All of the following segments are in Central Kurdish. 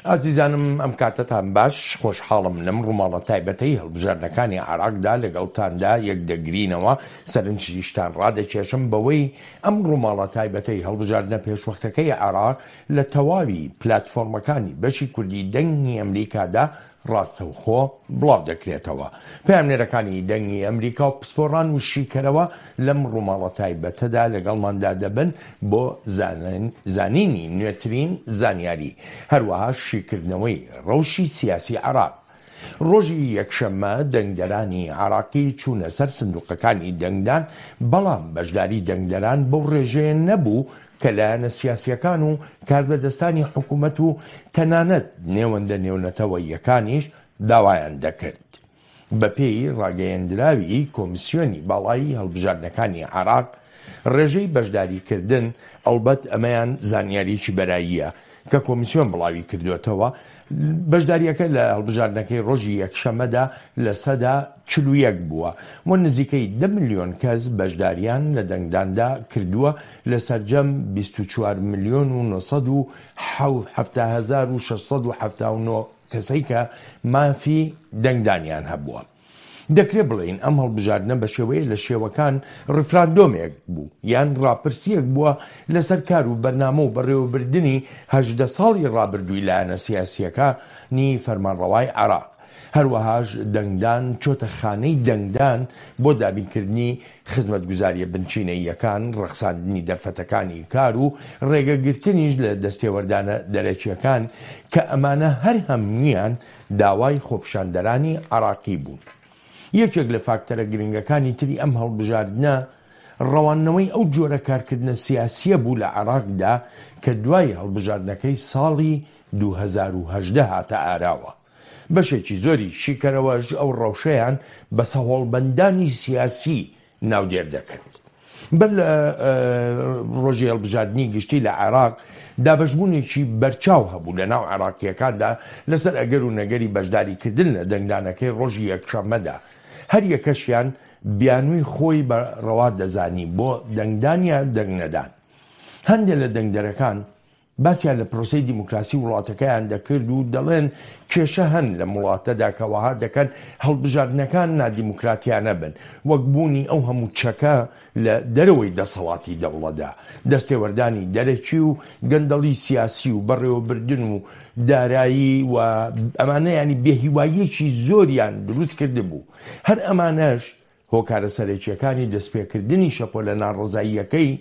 ئازیزانم ئەم کاتەتان باش، خۆشحاڵم لەم ڕووماڵە تایبەتەی هەڵبژاردنەکانی عێراقدا لەگەڵتاندا یەکدەگرینەوە، سەرنجیشتان ڕادەکێشم بەوەی ئەم ڕووماڵە تایبەتەی هەڵبژاردنە پێشوەختەکەی عێراق لە تەواوی پلاتفۆرمەکانی بەشی کوردی دەنگی ئەمریکادا ڕاستەوخۆ بڵاو دەکرێتەوە. پەیامنێرەکانی دەنگی ئەمریکا و پسپۆڕان و شیکەرەوە لەم ڕووماڵە تایبەتەدا لەگەڵماندا دەبن بۆ زانینی نوێترین زانیاری، هەروەها شیکردنەوەی ڕەوشی سیاسی عێراق. ڕۆژی یەکشەممە دەنگدەرانی عێراقی چوونە سەر سندوقەکانی دەنگدان، بەڵام بەشداری دەنگدەران بەو ڕێژەیە نەبوو کە لایەنە سیاسییەکان و کاربەدەستانی حکومەت و تەنانەت نێوەندە نێونەتەوەییەکانیش داوایان دەکرد. بەپێی ڕاگەیەندراوی کۆمسیۆنی باڵای هەڵبژاردنەکانی عێراق، ڕێژەی بەشداریکردن، ئەڵبەت ئەمەیان زانیاریی بەراییە کە کۆمسیۆن بڵاوی کردووەتەوە، بەشدارییەکە لە هەڵبژاردنەکەی ڕۆژی یەکشەممەدا 41% بووە و نزیکەی دە ملیۆن کەس بەشدارییان لە دەنگداندا کردووە لە سەرجەم 24 ملیۆن و 970 679 کەسەی کە مافی دەنگدانیان هەبووە. دەکرێ بڵێین ئەم هەڵبژاردنە بە شێوەیە لە شێوەکان ڕیفراندۆمێک بوو یان ڕاپرسییەک بووە لەسەر کار و بەرنامە و بەڕێوەبردنی 18 ساڵی ڕابردووی لایەنە سیاسییەکانی فەرمانڕەوای عێراق. هەروەهاش دەنگدان چۆتە خانەی دەنگدان بۆ دابینکردنی خزمەتگوزارییە بنچینەییەکان، ڕەخساندنی دەرفەتەکانی کار و ڕێگەگرتنیش لە دەستێوەردانە دەرەکییەکان کە ئەمانە هەر هەموویان داوای خۆپیشاندەرانی عێراقی بوون. یەکێک لە فاکتەرە گرنگەکانی تری ئەم هەڵبژاردنە ڕەواندنەوەی ئەو جۆرە کارکردنە سیاسییە بوو لە عێراقدا کە دوای هەڵبژاردنەکەی ساڵی 2018 هاتە ئاراوە. بەشێکی زۆری شیکەرەوەش ئەو ڕەوشەیان بە سەهۆڵبەندانی سیاسی ناودێر دەکرد. بەر لە ڕۆژی هەڵبژاردنی گشتی لە عێراق، دابەشبوونێکی بەرچاو هەبوو لە ناو عێراقییەکاندا لەسەر ئەگەر و نەگەری بەشداریکردن لە دەنگدانەکەی ڕۆژی یەکشەممەدا، هەر یەکەشیان بیانووی خۆی بە ڕەوا دەزانی بۆ دەنگدان یا دەنگنەدان. هەندێ لە دەنگدەرەکان باسیان لە پرۆسەی دیموکراسی وڵاتەکەیان دەکرد و دەڵێن کێشە هەن لەم وڵاتەدا کە وەها دەکەن هەڵبژاردنەکان نادیموکراتیانە بن، وەک بوونی ئەو هەموو چەکە لە دەرەوەی دەسەڵاتی دەوڵەتدا، دەستێوەردانی دەرەکی و گەندەڵی سیاسی و بەڕێوەبردن و دارایی و ئەمانە یانی بێهیواییەکی زۆریان دروست کردبوو. هەر ئەمانەش هۆکارە سەرەکییەکانی دەستپێکردنی شەپۆلە ناڕەزاییەکەی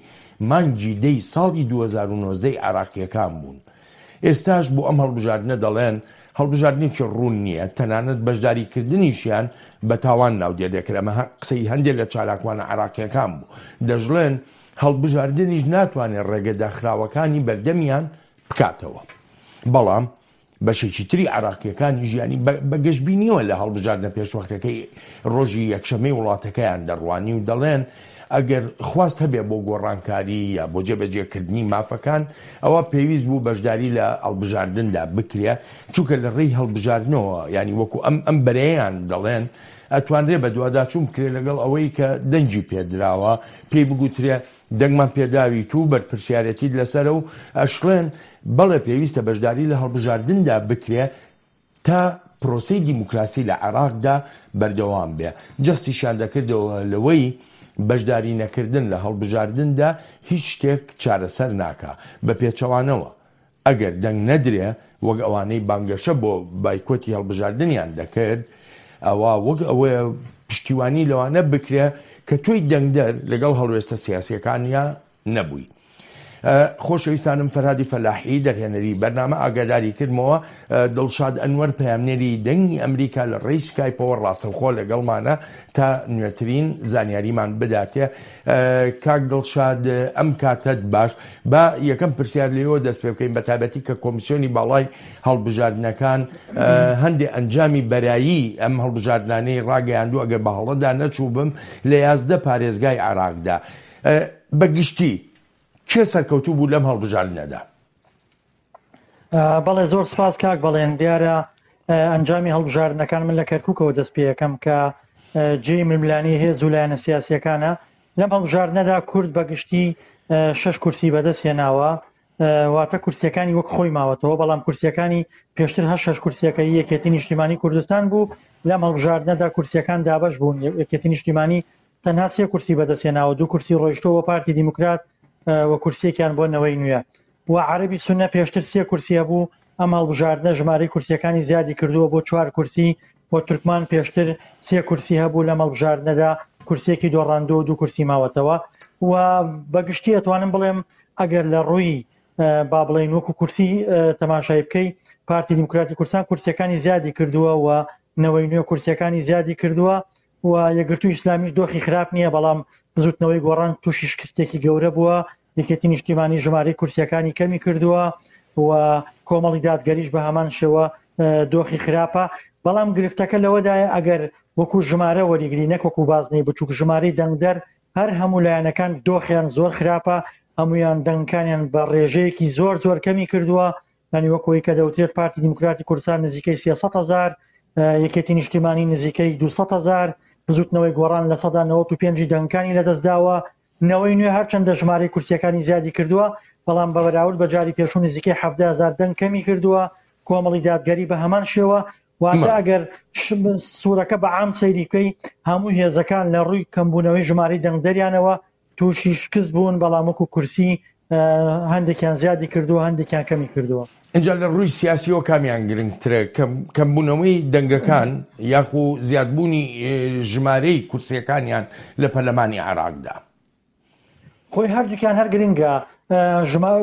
مانگی دەی ساڵی 2019 ی عێراقییەکان بوون. ئێستاش بۆ ئەم هەڵبژاردنە دەڵێن هەڵبژاردنێکی ڕوون نییە، تەنانەت بەشداریکردنیشیان بە تاوان ناودێر دەکرێت، ئەمە قسەی هەندێک لە چالاکوانە عێراقییەکان بوو، دەشڵێن هەڵبژاردنیش ناتوانێت ڕێگە داخراوەکانی بەردەمیان بکاتەوە. بەڵام بەشێکی تری عێراقییەکانیش یانی بە گەشبینییەوە لە هەڵبژاردنە پێشوەختەکەی ڕۆژی یەکشەممەی وڵاتەکەیان دەڕوانی و دەڵێن ئەگەر خواست هەبێ بۆ گۆڕانکاری یا بۆ جێبەجێکردنی مافەکان ئەوە پێویست بوو بەشداری لە هەڵبژاردندا بکرێ چونکە لە ڕێی هەڵبژاردنەوە یانی وەکو ئەم ئەم بەرەیان دەڵێن ئەتوانرێ بەدواداچوون بکرێ لەگەڵ ئەوەی کە دەنگی پێدراوە پێی بگوترێ دەنگمان پێداویت و بەرپرسیارێتیت لەسەرە و ئەشڵێن بەڵێ پێویستە بەشداری لە هەڵبژاردندا بکرێ تا پرۆسەی دیموکراسی لە عێراقدا بەردەوام بێ. جەختیشیان دەکردەوە لەوەی بەشداری نەکردن لە هەڵبژاردندا هیچ شتێک چارەسەر ناکا، بە پێچەوانەوە ئەگەر دەنگ نەدرێ وەک ئەوانەی بانگەشە بۆ بایکۆتی هەڵبژاردنیان دەکرد، ئەوا وەک ئەوەیە پشتیوانی لەوانە بکرێ کە تۆی دەنگدەر لەگەڵ هەڵوێستە سیاسیەکانیا نەبووی. خۆشەویستانم فەرهادی فەلاحی دەرهێنەری بەرنامە ئاگاداری کردمەوە دڵشاد ئەنوەر پەیامنێری دەنگی ئەمریکا لە ڕێی سکایپەوە ڕاستەوخۆ لەگەڵمانە تا نوێترین زانیاریمان بداتێ کاک دڵشاد ئەم کاتەت باش با یەکەم پرسیار لێوە دەست پێ بکەین بە تایبەتی کە کۆمیسیۆنی باڵای هەڵبژاردنەکان هەندێ ئەنجامی بەرایی ئەم هەڵبژاردنانەی ڕاگەیاندوو ئەگەر بە هەڵەدا نەچووبم لە 11 پارێزگای عێراقدا بە گشتی کێ سەرکەوتوو بوو لەم هەڵبژاردنەدا؟ بەڵێ زۆر سپاس کاک بەڵێن دیارە ئەنجامی هەڵبژاردنەکان من لە کەرکووکەوە دەست پێەکەم کە جێی ململانی هێز و لایەنە سیاسیەکانە لەم هەڵبژاردنەدا کورد بە گشتی شەش کورسی بەدەست هێناوە. واتە کورسیەکانی وەک خۆی ماوەتەوە بەڵام کورسیەکانی پێشتر هەر شەش کورسیەکە هی یەکێتی نیشتیمانی کوردستان بوو لەم هەڵبژاردنەدا کورسیەکان دابەش بوون یەکێتی نیشتیمانی تەنها سێ کورسی بەدەستهێناوە دوو کورسی ڕۆیشتووە بۆ پارتی دیموکرات و کورسیەکیان بۆ نەوەی نوێ و عەرەبی سونە پێشتر سێ کورسی هەبوو ئەم هەڵبژاردنە ژمارەی کورسیەکانی زیادی کردووە بۆ چوار کورسی و تورکمان پێشتر سێ کورسی هەبوو لەم هەڵبژاردنەدا کورسیەکی دۆڕاندووە و دوو کورسی ماوەتەوە و بەگشتی ئەتوانم بڵێم ئەگەر لە ڕووی با بڵێین وەکو کورسی تەماشای بکەی پارتی دیموکراتی کوردستان کورسیەکانی زیادی کردووە و نەوەی نوێ کورسیەکانی زیادی کردووە و یەکگرتوو ئیسلامیش دۆخی خراپ نییە بەڵام بزوتنەوەی گۆڕان تووشی شکستێکی گەورە بووە یەکێتی نیشتیمانی ژمارەی کورسیەکانی کەمی کردووە و کۆمەڵی دادگەریش بە هەمان شێوە دۆخی خراپە بەڵام گرفتەکە لەوەدایە ئەگەر وەکو ژمارە وەریگری نەک وەکو بازنەی بچووک ژمارەی دەنگدەر هەر هەموو لایەنەکان دۆخیان زۆر خراپە هەمویان دەنگکانیان بە ڕێژەیەکی زۆر زۆر کەمی کردووە ینی وەکەوەی کە دەوترێت پارتی دیموکراتی کوردستان نزیکەی 300 هزار یەکێتی نیشتیمانی نزیکەی 200 هزار بزوتنەوەی گۆڕان لە سەدا 95 دەنگکانی لەدەستداوە نەوەی نوێ هەرچەندە ژمارەی کورسیەکانی زیادی کردووە، بەڵام بە بەراورد بە جاری پێشوو نزیکەی 17 هەزار دەنگ کەمی کردووە، کۆمەڵی دادگەری بە هەمان شێوە، واتە ئەگەر سوورەکە بە عام سەیری بکەی هەموو هێزەکان لە ڕووی کەمبوونەوەی ژمارەی دەنگدەریانەوە تووشی شکست بوون، بەڵام وەکو کورسی هەندێکیان زیادی کردووە هەندێکیان کەمی کردووە. ئینجا لە ڕووی سیاسیەوە کامیان گرنگترە کەمبوونەوەی دەنگەکان یاخو زیادبوونی ژمارەی کورسیەکانیان لە پەرلەمانی عێراقدا؟ خۆی هەردووکیان هەر گرنگە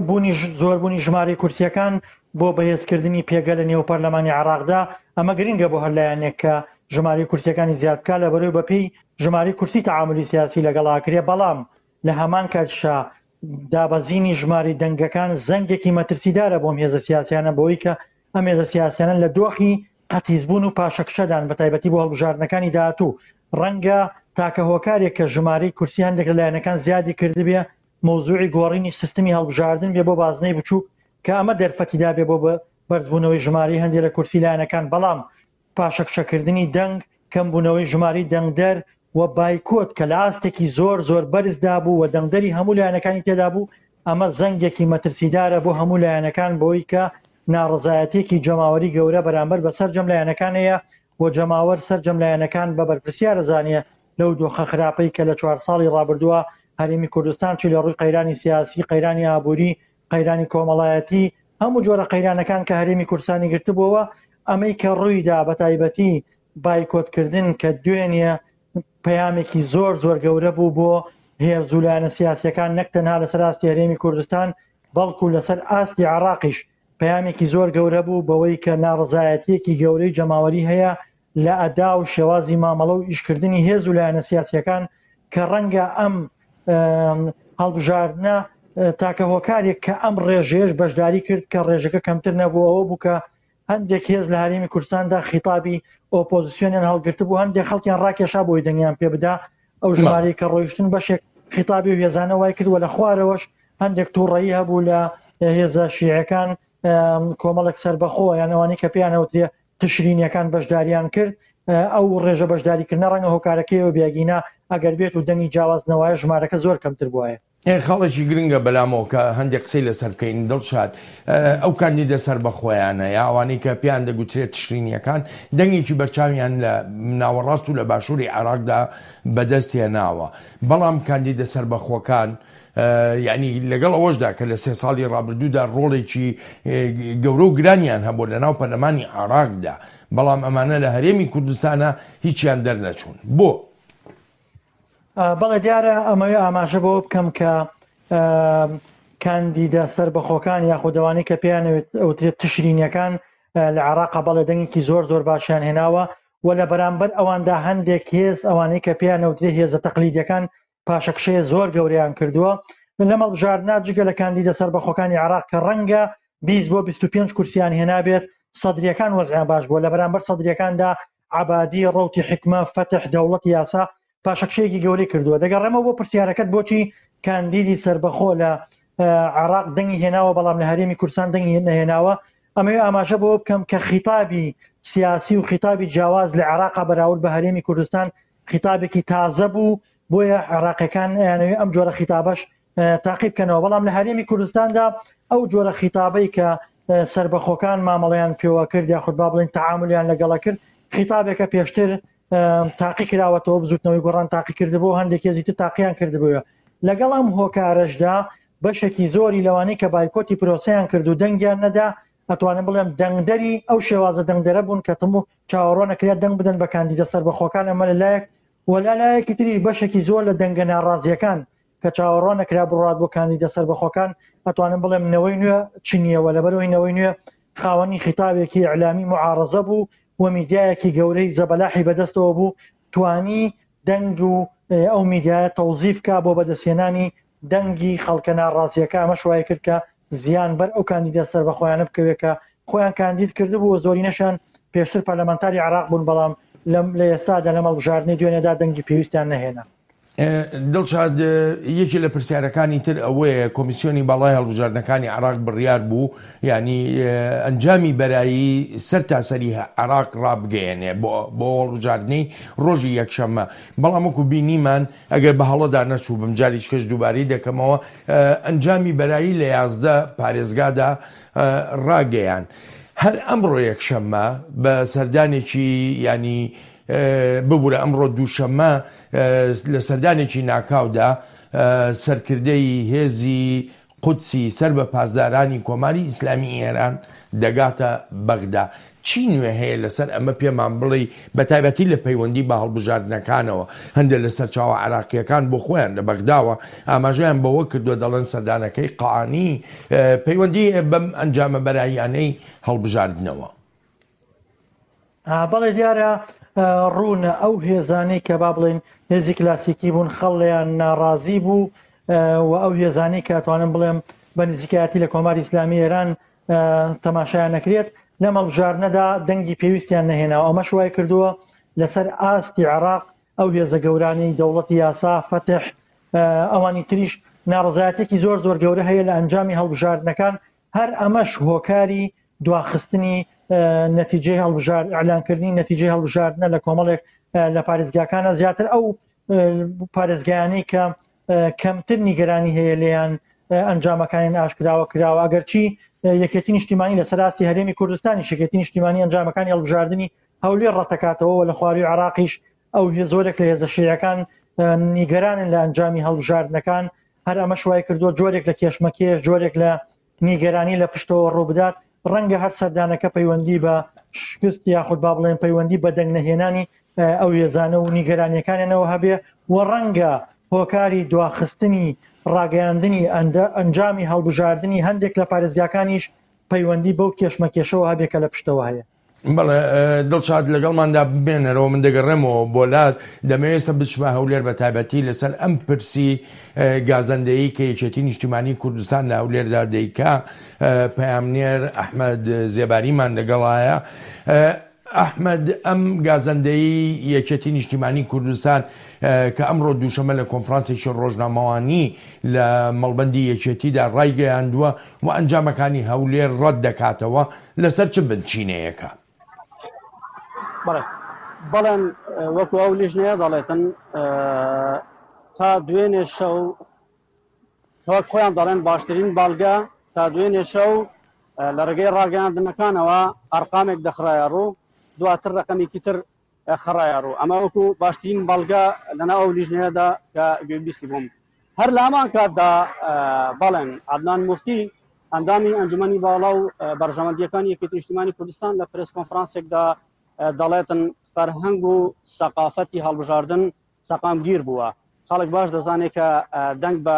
بوونی زۆربوونی ژمارەی کورسیەکان بۆ بەهێزکردنی پێگە لە نێو پەرلەمانی عێراقدا ئەمە گرنگە بۆ هەر لایەنێک کە ژمارەی کورسیەکانی زیاد بکات لە بەرەوەی بەپێی ژمارەی کورسی تەعامولی سیاسی لەگەڵ ئاکرێ بەڵام لە هەمان کاتیشا دابەزینی ژمارەی دەنگەکان زەنگێکی مەترسیدارە بۆم هێزە سیاسیانە بەوەی کە ئەم هێزە سیاسیانە لە دۆخی قەتیسبوون و پاشەکشەدان بە تایبەتی بۆ هەڵبژاردنەکانی داهاتوو ڕەنگە تاکە هۆکارێک کە ژمارەی کورسی هەندێک لە لایەنەکان زیادی کردبێ مەوزوعی گۆڕینی سیستمی هەڵبژاردن بێ بۆ بازنەی بچووک کە ئەمە دەرفەتی دابێ بۆ بەرزبوونەوەی ژمارەی هەندێک لە کورسی لایەنەکان بەڵام پاشەکشەکردنی دەنگ، کەمبوونەوەی ژمارەی دەنگدەر و بایکۆت کە لە ئاستێکی زۆر زۆر بەرزدا بوو و دەنگدەری هەموو لایەنەکانی تێدا بوو، ئەمە زەنگێکی مەترسیدارە بۆ هەموو لایەنەکان بەوەی کە ناڕەزایەتییەکی جەماوەری گەورە بەرامبەر بە سەرجەم لایەنەکان هەیە و جەماوەر سەرجەم لایەنەکان بە بەرپرسیار ئەزانێ لەو دۆخە خراپەی کە لە چوار ساڵی ڕابردووە هەرێمی کوردستان چی لە ڕووی قەیرانی سیاسی، قەیرانی ئابووری، قەیرانی کۆمەڵایەتی، هەموو جۆرە قەیرانەکان کە هەرێمی کوردستانی گرتبووەوە، ئەمەی کە ڕوویدا بە تایبەتی بایکۆتکردن کە دوێنێ پەیامێکی زۆر زۆر گەورە بوو بۆ هێز و لایەنە سیاسیەکان نەک تەنها لەسەر ئاستی هەرێمی کوردستان بەڵکو لەسەر ئاستی عێراقیش پەیامێکی زۆر گەورە بوو بەوەی کە ناڕەزایەتیەکی گەورەی جەماوەری هەیە لە ئەدا و شێوازی مامەڵە و ئیشکردنی هێز و لایەنە سیاسیەکان کە ڕەنگە ئەم هەڵبژاردنە تاکە هۆکارێک کە ئەم ڕێژەیەش بەشداری کرد کە ڕێژەکە کەمتر نەبوو ئەوە بوو کە هەندێک هێز لە هەرێمی کوردستاندا خیتابی ئۆپۆزیسیۆنیان هەڵگرتبوو هەندێک خەڵکیان ڕاکێشا بۆی دەنگیان پێ بدا ئەو ژمارەی کە ڕۆیشتن بەشێک خیتابی و هێزانە وای کرد و لە خوارەوەش هەندێک تووڕەیی هەبوو لە هێزە شیعەکان کۆمەڵێک سەربەخۆ یان ئەوانەی کە پێیان ئەوترێ تشرینیەکان بەشداریان کرد ئەو ڕێژە بەشداریکردنە ڕەنگە هۆکارەکەیەوە بێگینا ئەگەر بێت و دەنگی جیاواز نەوایە ژمارەکە زۆر کەمتر بوایە. خاڵێکی گرنگە بەلامەوە کە هەندێک قسەی لەسەر بکەین دڵشاد ئەو کاندیدە سەربەخۆیانە یا ئەوانەی کە پێیان دەگوترێت تشرینیەکان دەنگێکی بەرچاویان لە ناوەڕاست و لە باشووری عێراقدا بەدەست هێناوە بەڵام کاندیدە سەربەخۆکان یانی لەگەڵ ئەوەشدا کە لە سێ ساڵی ڕابردوودا ڕۆڵێکی گەورە و گرانیان هەبوو لە ناو پەرلەمانی عێراقدا، بەڵام ئەمانە لە هەرێمی کوردستانا هیچیان دەرنەچوون. بۆ؟ بەڵێ دیارە ئەمەوێ ئاماژە بەوە بکەم کە کاندیدە سەربەخۆکان یاخود ئەوانەی کە پێیان ئەوترێت تشرینیەکان لە عێراقا بەڵێ دەنگێکی زۆر زۆر باشیان هێناوە و لە بەرامبەر ئەواندا هەندێک هێز ئەوانەی کە پێیان ئەوترێ هێزە تەقلیدیەکان پاشەکشەیە زۆر گەورەیان کردووە لەم هەڵبژاردنە جگە لە کاندیدە سەربەخۆکانی عێراق کە ڕەنگە 20 بۆ 25 کورسیان هێنابێت سەدریەکان وەزعیان باش بووە لە بەرامبەر سەدریەکاندا عەبادی ڕەوتی حیکمە فەتح دەوڵەتی یاسا پاشەکشەیەکی گەورەی کردووە دەگەڕێمەوە بۆ پرسیارەکەت بۆچی کاندیدی سەربەخۆ لە عێراق دەنگی هێناوە بەڵام لە هەرێمی کوردستان دەنگی نەهێناوە ئەمەوێ ئاماژە بەوە بکەم کە خیتابی سیاسی و خیتابی جیاواز لە عێراقا بەراورد بە هەرێمی کوردستان خیتابێکی تازە بوو بۆیە عێراقیەکان ئەیانەوێ ئەم جۆرە خیتابەش تاقی بکەنەوە بەڵام لە هەرێمی کوردستاندا ئەو جۆرە خیتابەی کە سەربەخۆکان مامەڵەیان پێوە کرد یاخود با بڵێین تەعامولیان لەگەڵە کرد خیتابێکە پێشتر تاقی کراوەتەوە بزوتنەوەی گۆڕان تاقی کردبوو هەندێک هێزی تر تاقییان کردبووە لەگەڵ ئەم هۆکارەشدا بەشێکی زۆری لەوانەی کە بایکۆتی پرۆسەیان کرد و دەنگیان نەدا ئەتوانم بڵێم دەنگدەری ئەو شێوازە دەنگدەرە بوون کە تم و چاوەڕوان نەکرا دەنگ بدەن بە کاندیدە سەربەخۆکان ئەمە لە لایەک و لە لایەکی تریش بەشێکی زۆر لە دەنگە ناڕازیەکان کە چاوەڕوان نەکرا بڕات بۆ کاندیدە سەربەخۆکان ئەتوانم بڵێم نەوەی نوێ چنیەوە لەبەرەوەی نەوەی نوێ خاوەنی خیتابێکی ئیعلامی معارەزە بوو و میدیایەکی گەورەی زەبەلاحی بەدەستەوە بوو توانی دەنگ و ئەو میدیایە تەوزیف کا بۆ بەدەستهێنانی دەنگی خەڵکە ناڕازیەکە ئەمەش وای کرد کە زیان بەر ئەو کاندیدە سەربەخۆیانە بکەوێت کە خۆیان کاندید کردبوو و زۆرینەشیان پێشتر پەرلەمانتاری عێراق بوون بەڵام لەم لە ئێستادا لەم هەڵبژاردنەی دوێنێدا دەنگی پێویستیان نەهێنا. دڵشاد، یەکێ لە پرسیارەکانی تر ئەوەیە کۆمیسیۆنی باڵای هەڵبژاردنەکانی عێراق بڕیار بوو یانی ئەنجامی بەرایی سەر تاسەری عێراق ڕابگەیەنێ بۆ هەڵبژاردنەی ڕۆژی یەکشەممە بەڵام وەکو بینیمان ئەگەر بە هەڵەدا نەچووبم جاریشکەش دووبارەی دەکەمەوە ئەنجامی بەرایی لە 11 پارێزگادا ڕاگەیان هەر ئەمڕۆ یەکشەممە بە سەردانێکی ینی ببورە ئەمڕۆ دووشەممە لە سەردانێکی ناکاودا سەرکردەی هێزی قودسی سەر بە پاسدارانی کۆماری ئیسلامی ئێران دەگاتە بەغدا. چی نوێ هەیە لەسەر ئەمە پێمان بڵێی بە تایبەتی لە پەیوەندی بە هەڵبژاردنەکانەوە؟ هەندێک لە سەرچاوە عێراقییەکان بۆ خۆیان لە بەغداوە ئاماژەیان بەوە کردووە دەڵێن سەردانەکەی قائانی پەیوەندی هەیە بەم ئەنجامە بەراییانەی هەڵبژاردنەوە. بەڵێ دیارە ڕوونە ئەو هێزانەی کە با بڵێن هێزی کلاسیکی بوون خەڵیان ناڕازی بوو و ئەو هێزانەی کە توانم بڵێم بە نزیکایەتی لە کۆماری ئیسلامی ئێران تەماشایان نەکرێت لەم هەڵبژاردنەدا دەنگی پێویستیان نەهێناوە ئەمەش وای کردووە لەسەر ئاستی عێراق ئەو هێزە گەورانەی دەوڵەتی یاسا فەتح ئەوانی تریش ناڕزایەتێکی زۆر زۆر گەورە هەیە لە ئەنجامی هەڵبژاردنەکان هەر ئەمەش هۆکاری دواخستنی نەتیجەی هەڵبژارد ئیعلانکردنی نەتیجەی هەڵبژاردنە لە کۆمەڵێک لە پارێزگاکانە زیاتر ئەو پارێزگایانەی کە کەمتر نیگەرانی هەیە لێیان ئەنجامەکانیان ئاشکراوە کراوە ئەگەرچی یەکێتی نیشتیمانی لەسەر ئاستی هەرێمی کوردستانی یەکێتی نیشتیمانی ئەنجامەکانی هەڵبژاردنی هەولێر ڕەتەکاتەوە و لە خواروی عراقیش ئەو زۆرێک لە هێزە شیعەکان نیگەرانن لە ئەنجامی هەڵبژاردنەکان هەر ئەمەش وای کردووە جۆرێک لە کێشمەکێش جۆرێک لە نیگەرانی لە پشتەوە ڕووبدات، ڕەنگە هەر سەردانەکە پەیوەندی بە شکست یاخود با بڵێن پەیوەندی بە دەنگ نەهێنانی ئەو هێزانە و نیگەرانیەکانیانەوە هەبێ و ڕەنگە هۆکاری دواخستنی ڕاگەیاندنی ئەنجامی هەڵبژاردنی هەندێک لە پارێزگاکانیش پەیوەندی بەو کێشمەکێشەوە هەبێ کە لە پشتەوە هەیە. بەڵێ دڵشاد لەگەڵماندا بمێنەرەوە من دەگەڕێمەوە بۆ لات دەمەوێت ئێستا بچمە هەولێر بە تایبەتی لەسەر ئەم پرسی گازەندەیی کە یەکێتی نیشتیمانی کوردستان لە هەولێردا دەیکا پەیامنێر ئەحمەد زێباریمان لەگەڵایە ئەحمەد ئەم گازەندەیی یەکێتی نیشتیمانی کوردستان کە ئەمڕۆ دووشەمە لە کۆنفرانسێکی ڕۆژنامەوانی لە مەڵبەندی یەکێتیدا ڕایگەیاندووە و ئەنجامەکانی هەولێر ڕەت دەکاتەوە لەسەر چ بنچینەیەکە؟ بەڵێ بەڵێن وەکو ئەو لیژنەیە دەڵێتن تا دوێنێ شەو وەک خۆیان دەڵێن باشترین باڵگە تا دوێنێ شەو لە ڕێگەی ڕاگەیاندنەکانەوە ئەرقامێک دەخرایە ڕوو دواتر ڕقەمێکی تر خڕایە ڕوو ئەمە وەکو باشترین بەڵگە لەناو ئەو لیژنەیەدا کە گوێبیستی بووم هەر لە هەمان کاتدا بەڵێن عەدنان موفتی ئەندامی ئەنجومەنی باڵا و بەرژەوەندیەکانی یەکێتی نیشتیمانی کوردستان لە پرێس کۆنفرانسێکدا دەڵێتن فەرهەنگ و سەقافەتی هەڵبژاردن سەقامگیر بووە خەڵک باش دەزانێت کە دەنگ بە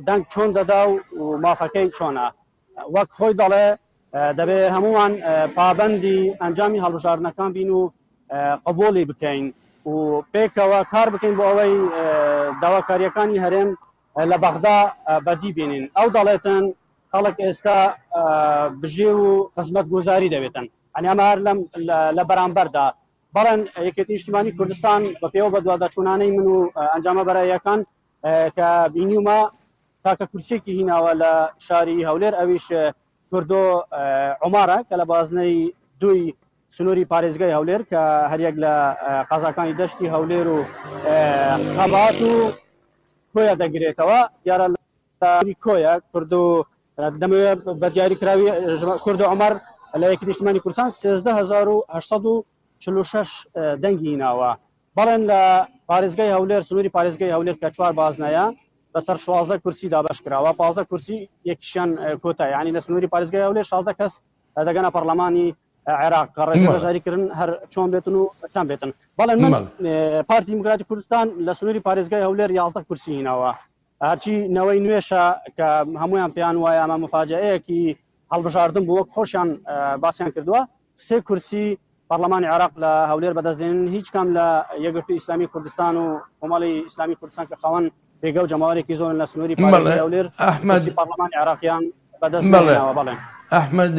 دەنگ چۆن دەدا و مافەکەی چۆنە وەک خۆی دەڵێ دەبێ هەمووان پابەندی ئەنجامی هەڵبژاردنەکان بین و قبوڵی بکەین و پێکەوە کار بکەین بۆ ئەوەی داواکاریەکانی هەرێم لە بەغدا بەدی بینین ئەو دەڵێتن خەڵک ئێستا بژێ و خزمەت گوزاری دەوێتن ئەنی ئەمە هەر لەم لە بەرامبەردا بەڵێن یەکێتی نیشتیمانی کوردستان بە پێوە بەدواداچوونانەی من و ئەنجامە بەراییەکان کە بینیومە تاکە کورسیەکی هیناوە لە شاری هەولێر ئەویش کوردۆ عمارە کە لە بازنەی دووی سنووری پارێزگای هەولێر کە هەریەک لە قەزاکانی دەشتی هەولێر و خەبات و کۆیە دەگرێتەوە دیارە لە کۆیە کوردو. دەمەوێت بە دیاری کراوی کورد عمر لە یەکی نیشتمانی کوردستان 13846 دەنگی ناوە. بەڵێن لە پارێزگای هەولێر سنووری پارێزگای هەولێر کە چوار بازنەیە بەسەر 16 کورسی دابەش کراوە 15 کورسی یەکیشیان کۆتا یعنی لە سنووری پارێزگای هەولێر 16 کەس دەگەنە پەرلەمانی عێراق کە ڕێژەی بەشداریکردن هەر چۆن بێتن و چەند بێتن. بەڵێ من پارتی دیموکراتی کوردستان لە سنووری پارێزگای هەولێر 11 کورسی هیناوە. هەرچی نەوەی نوێشە کە هەمویان پێیان وایە ئەمە مفاجئەیەکی هەڵبژاردن بوو وەک خۆشیان باسیان کردووە سێ کورسی پەرلەمانی عێراق لە هەولێر بەدەست دێنن هیچ کام لە یەکگرتووی ئیسلامی کوردستان و کۆمەڵی ئیسلامی کوردستان کە خاوەن پێگە و جەماوەرێکی زۆرن لە سنووری پارێزگای هەولێر ئەحمەد پەرلەمانی عێراقیان بەدەست نەهێناوە. بەڵێ. ئەحمەد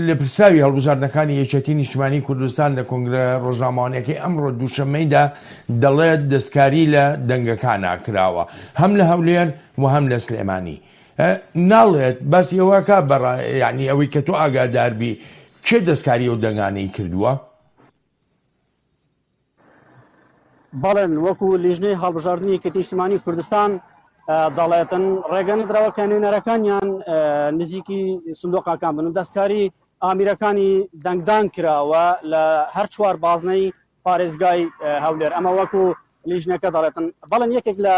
لێپرسراوی هەڵبژاردنەکانی یەکێتی نیشتمانی کوردستان لە کۆنگرە ڕۆژنامەوانیەکەی ئەمڕۆ دووشەممەیدا دەڵێت دەستکاری لە دەنگەکانا کراوە هەم لە هەولێر و هەم لە سلێمانی ناڵێت باسی ئەوەکە بەڕا یعنی ئەوەی کە تۆ ئاگاداربی کێ دەستکاری ئەو دەنگانەی کردووە؟ بەڵێن وەکو لیژنەی هەڵبژاردنی یەکێتی نیشتمانی کوردستان دەڵێتن ڕێگە نەدراوە کە نوێنەرەکانیان نزیکی سندۆقاکان بن و دەستکاری ئامیرەکانی دەنگدان کراوە لە هەر چوار بازنەی پارێزگای هەولێر ئەمە وەکو لیژنەکە دەڵێتن بەڵێن یەکێک لە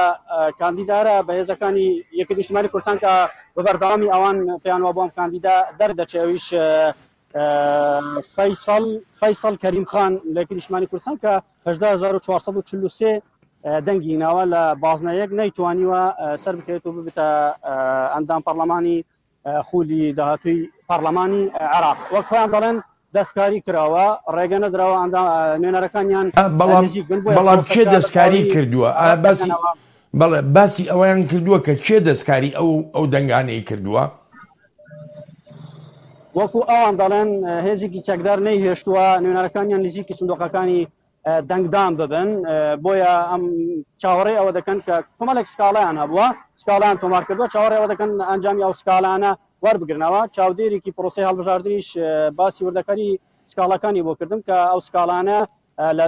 کاندیدارە بەهێزەکانی یەکێتی نیشتمانی کوردستان کە بە بەردەوامی ئەوان پێیان وابوو ئەم کاندیدا دەردەچێ ئەویش فەیسەڵ فەیسەڵ کەریم خان لە یەکێتی نیشتمانی کوردستان کە 18443 دەنگی ناوە لە بازنە یەک نەیتوانیوە سەر بکەوێت و ببێتە ئەندام پەرلەمانی خولی داهاتووی پەرلەمانی عێراق وەک خۆیان دەڵێن دەستکاری کراوە ڕێگە نەدراوە ئەندام نوێنەرەکانیان بەڵام نزیک بن بۆیە بەڵام کێ پرۆسەکە بە دەستکاری تەواوی کردووە ئا ڕەت باسی دەکەنەوە. بەڵێ باسی ئەوەیان کردووە کە کێ دەستکاری ئەو ئەو دەنگانەی کردووە؟ وەکو ئەوان دەڵێن هێزێکی چەکدار نەیهێشتووە نوێنەرەکانیان نزیکی سندوقەکانی دەنگدان ببن بۆیە ئەم چاوەڕێ ئەوە دەکەن کە کۆمەڵێک سکاڵیان هەبووە سکاڵیان تۆمار کردووە چاوەڕێ ئەوە دەکەن ئەنجامی ئەو سکاڵانە وەربگرنەوە چاودێرێکی پرۆسەی هەڵبژاردنیش باسی وردەکاری سکاڵەکانی بۆ کردم کە ئەو سکاڵانە لە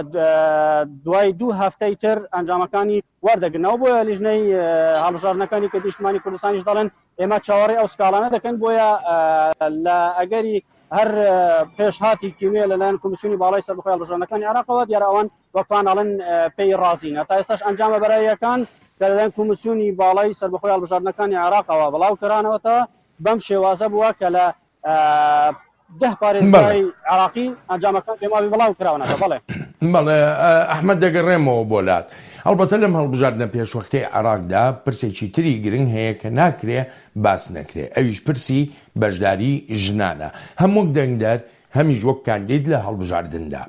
دوای دوو هەفتەی تر ئەنجامەکانی وەردەگرنەوە بۆیە لیژنەی هەڵبژاردنەکانی کە نیشتمانی کوردستانیش دەڵێن ئێمە چاوەڕێی ئەو سکاڵانە دەکەن بۆیە لە ئەگەری هەر پێشهاتێکی نوێ لەلایەن کۆمیسیۆنی باڵای سەربەخۆی هەڵبژاردنەکانی عێراقەوە دیارە ئەوان وەکوان ئەڵێن پێی ڕازینە تا ئێستاش ئەنجامە بەراییەکان کە لەلایەن کۆمیسیۆنی باڵای سەربەخۆی هەڵبژاردنەکانی عێراقەوە بڵاو کرانەوەتە بەم شێوازە بووە کە لە ده پارێزگای عێراقی ئەنجامەکان پێماوی بڵاو کراونەتە بەڵێ. بەڵێ ئەحمەد دەگەڕێمەوە بۆ لات. ئەڵبەتە لەم هەڵبژاردنە پێشوەختەی عێراقدا پرسێکی تری گرنگ هەیە کە ناکرێ باس نەکرێ ئەویش پرسی بەشداری ژنانە هەم وەک دەنگدەر هەمیش وەک کاندید لە هەڵبژاردندا.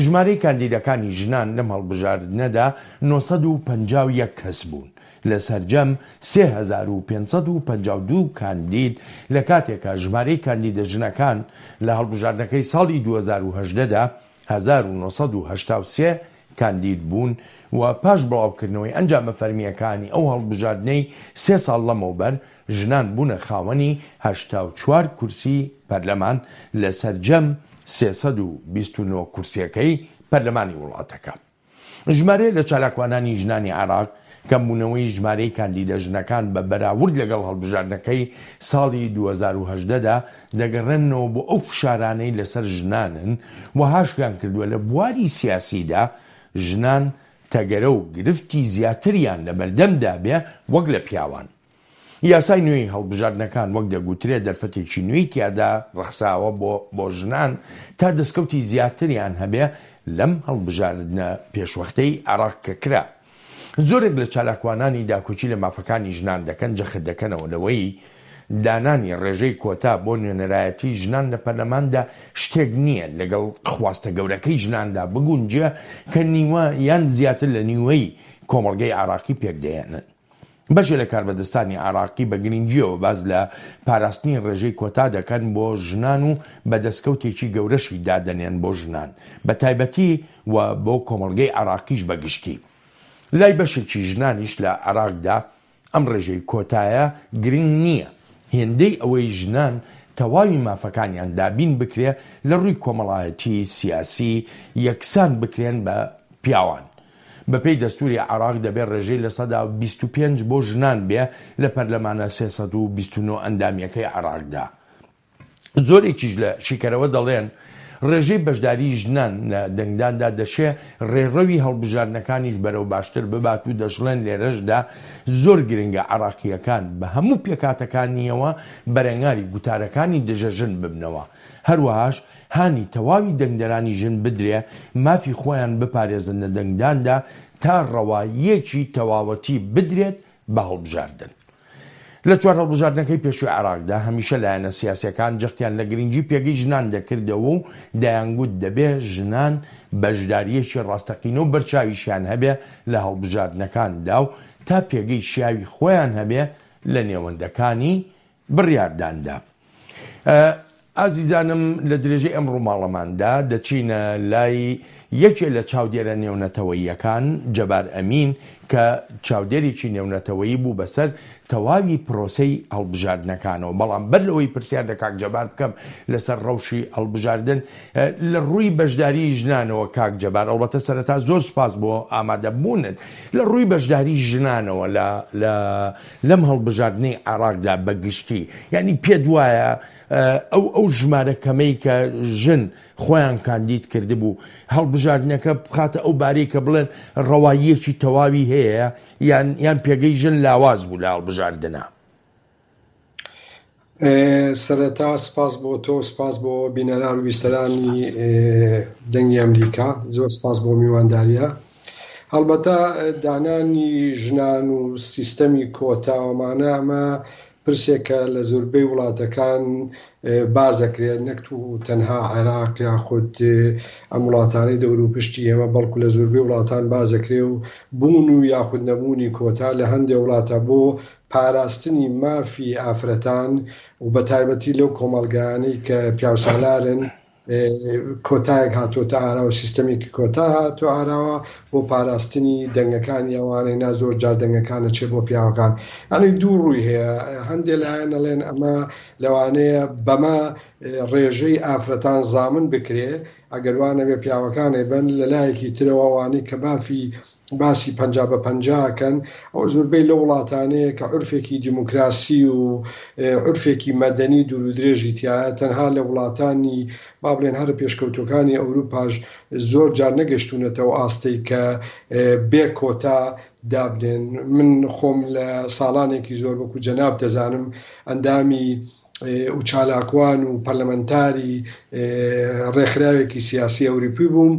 ژمارەی کاندیدەکانی ژنان لەم هەڵبژاردنەدا 951 کەس بوون لە سەرجەم 3552 کاندید، لە کاتێکا ژمارەی کاندیدە ژنەکان لە هەڵبژاردنەکەی ساڵی 2018 دا 1983 کاندید بوون و پاش بڵاوکردنەوەی ئەنجامە فەرمییەکانی ئەو هەڵبژاردنەی سێ ساڵ لەمەوبەر ژنان بوونە خاوەنی 84 کورسی پەرلەمان لە سەرجەم 329 کورسیەکەی پەرلەمانی وڵاتەکە. ژمارەیە لە چالاکوانانی ژنانی عێراق کەمبوونەوەی ژمارەی کاندیدە ژنەکان بە بەراورد لەگەڵ هەڵبژاردنەکەی ساڵی 2018 دا دەگەڕێننەوە بۆ ئەو فشارانەی لەسەر ژنانن و هاشیان کردووە لە بواری سیاسیدا ژنان تەگەرە و گرفتی زیاتریان لەبەردەمدا بێ وەک لە پیاوان. یاسای نوێی هەڵبژاردنەکان وەک دەگوترێ دەرفەتێکی نوێی تیادا ڕەخساوە بۆ بۆ ژنان تا دەستکەوتی زیاتریان هەبێ لەم هەڵبژاردنە پێشوەختەی عێراق کە کرا. زۆرێک لە چالاکوانانی داکۆکی لە مافەکانی ژنان دەکەن جەخت دەکەنەوە لەوەی دانانی ڕێژەی کۆتا بۆ نوێنەرایەتی ژنان لە پەرلەماندا شتێک نییە لەگەڵ خواستە گەورەکەی ژناندا بگونجێ کە نیوە یان زیاتر لە نیوەی کۆمەڵگەی عێراقی پێکدەهێنن. بەشێ لە کاربەدەستانی عێراقی بە گرنگییەوە باس لە پاراستنی ڕێژەی کۆتا دەکەن بۆ ژنان و بە دەستکەوتێکی گەورەشی دادەنێن بۆ ژنان بە تایبەتی و بۆ کۆمەڵگەی عێراقیش بە گشتی. لای بەشێکی ژنانیش لە عێراقدا ئەم ڕێژەی کۆتایە گرنگ نییە هێندەی ئەوەی ژنان تەواوی مافەکانیان دابین بکرێ لە ڕووی کۆمەڵایەتی، سیاسی یەکسان بکرێن بە پیاوان. بەپێی دەستووری عێراق دەبێ ڕێژەی 25% بۆ ژنان بێ لە پەرلەمانە 329 ئەندامییەکەی عێراقدا. زۆرێکیش لە شیکەرەوە دەڵێن، ڕێژەی بەشداریی ژنان لە دەنگداندا دەشێ ڕێڕەوی هەڵبژاردنەکانیش بەرەو باشتر ببات و دەشڵێن لێرەشدا زۆر گرنگە عێراقییەکان بە هەموو پێکهاتەکانییەوە بەرەنگاری گوتارەکانی دژە ژن ببنەوە هەروەهاش هانی تەواوی دەنگدەرانی ژن بدرێ مافی خۆیان بپارێزن لە دەنگداندا تا ڕەواییەکی تەواوەتی بدرێت بە هەڵبژاردن. لە چوار هەڵبژاردنەکەی پێشووی عێراقدا هەمیشە لایەنە سیاسییەکان جەختیان لە گرنگی پێگەی ژنان دەکردەوە و دەیانگوت دەبێ ژنان بەشدارییەکی ڕاستەقینە و بەرچاویشیان هەبێ لە هەڵبژاردنەکاندا و تا پێگەی شیاوی خۆیان هەبێ لە نێوەندەکانی بڕیارداندا. ئازیزانم لە درێژەی ئەم ڕووماڵەماندا دەچینە لای یەکێ لە چاودێرە نێونەتەوەییەکان جەبار ئەمین کە چاودێرێکی نێونەتەوەیی بوو بەسەر تەواوی پرۆسەی هەڵبژاردنەکانەوە بەڵام بەر لەوەی پرسیار لە کاک جەبار بکەم لەسەر ڕەوشی هەڵبژاردن لە ڕووی بەشداری ژنانەوە کاک جەبار ئەڵبەتە سەرەتا زۆر سوپاس بۆ ئامادەبوونت لە ڕووی بەشداری ژنانەوە لە لە لەم هەڵبژاردنەی عێراقدا بە گشتی یانی پێت وایە ئەو ئەو ژمارە کەمەی کە ژن خۆیان کاندید کردبوو هەڵبژاردنەکە بخاتە ئەو بارەی کە بڵێن ڕەواییەکی تەواوی هەیە یان یان پێگەی ژن لاواز بوو لە هەڵبژاردنە؟ سەرەتا سپاس بۆ تۆ سپاس بۆ بینەران و بیسەرانی دەنگی ئەمریکا زۆر سپاس بۆ میوانداریە هەڵبەتە دانانی ژنان و سیستەمی کۆتا ومانە ئەمە پرسێکە لە زۆربەی وڵاتەکان باس دەکرێت نەک تەنها عێراق یاخود ئەم وڵاتانەی دەوروپشتی ئێمە بەڵکو لە زۆربەی وڵاتان باس دەکرێت و بوون و یاخود نەبوونی کۆتا لە هەندێ وڵاتە بۆ پاراستنی مافی ئافرەتان و بەتایبەتی لەو کۆمەڵگایانەی کە پیاوسالارن کۆتایەک هاتۆتە ئاراوە، سیستەمێکی کۆتا هاتۆ ئاراوە بۆ پاراستنی دەنگەکانی ئەوانەی نا زۆر جار دەنگەکان ئەچێ بۆ پیاوەکان. یانی دوو ڕووی هەیە، هەندێ لایەن ئەڵێن ئەمە لەوانەیە بەمە ڕێژەی ئافرەتان زامن بکرێ ئەگەر وا نەبێ پیاوەکان ئەیبەن، لە لایەکی ترەوە ئەوانەی کە مافی باسی 50 بە 50 ئەکەن، ئەوە زۆربەی لەو وڵاتانەیە کە عورفێکی دیموکراسی و عورفێکی مەدەنی دوورودرێژی تیایە، تەنها لە وڵاتانی با بڵێن هەرە پێشکەوتووەکانی ئەوروپاش زۆر جار نەگەشتوونەتە ئەو ئاستەی کە بێ کۆتا دابنێن. من خۆم لە ساڵانێکی زۆر وەکو جەناب دەزانم ئەندامی و چالاکوان و پەرلەمەنتاری ڕێکخراوێکی سیاسی ئەوروپی بووم،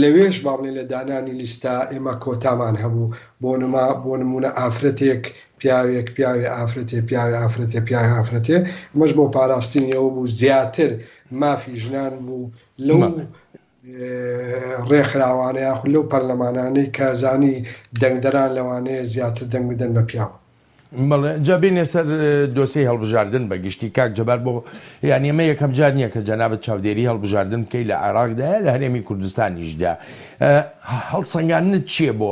لەوێش با بڵێین لە دانانی لیستە ئێمە کۆتامان هەبوو، بۆ نما بۆ نموونە ئافرەتێک پیاوێک پیاوێ ئافرەتێ پیاوێ ئافرەتێ پیاوێ ئافرەتێ، ئەمەش بۆ پاراستنی ئەوە بوو زیاتر مافی ژنان بوو لەو ڕێکخراوانە یاخود لەو پەرلەمانانەی کە زانی دەنگدەران لەوانەیە زیاتر دەنگ بدەن بە پیاو. بەڵێ جا بێینە سەر دۆسیەی هەڵبژاردن بە گشتی کاک جەبار بۆ یانی ئەمە یەکەم جار نییە کە جەنابت چاودێری هەڵبژاردن بکەی لە عێراقدا لە هەرێمی کوردستانیشدا هەڵسەنگاندنت چییە بۆ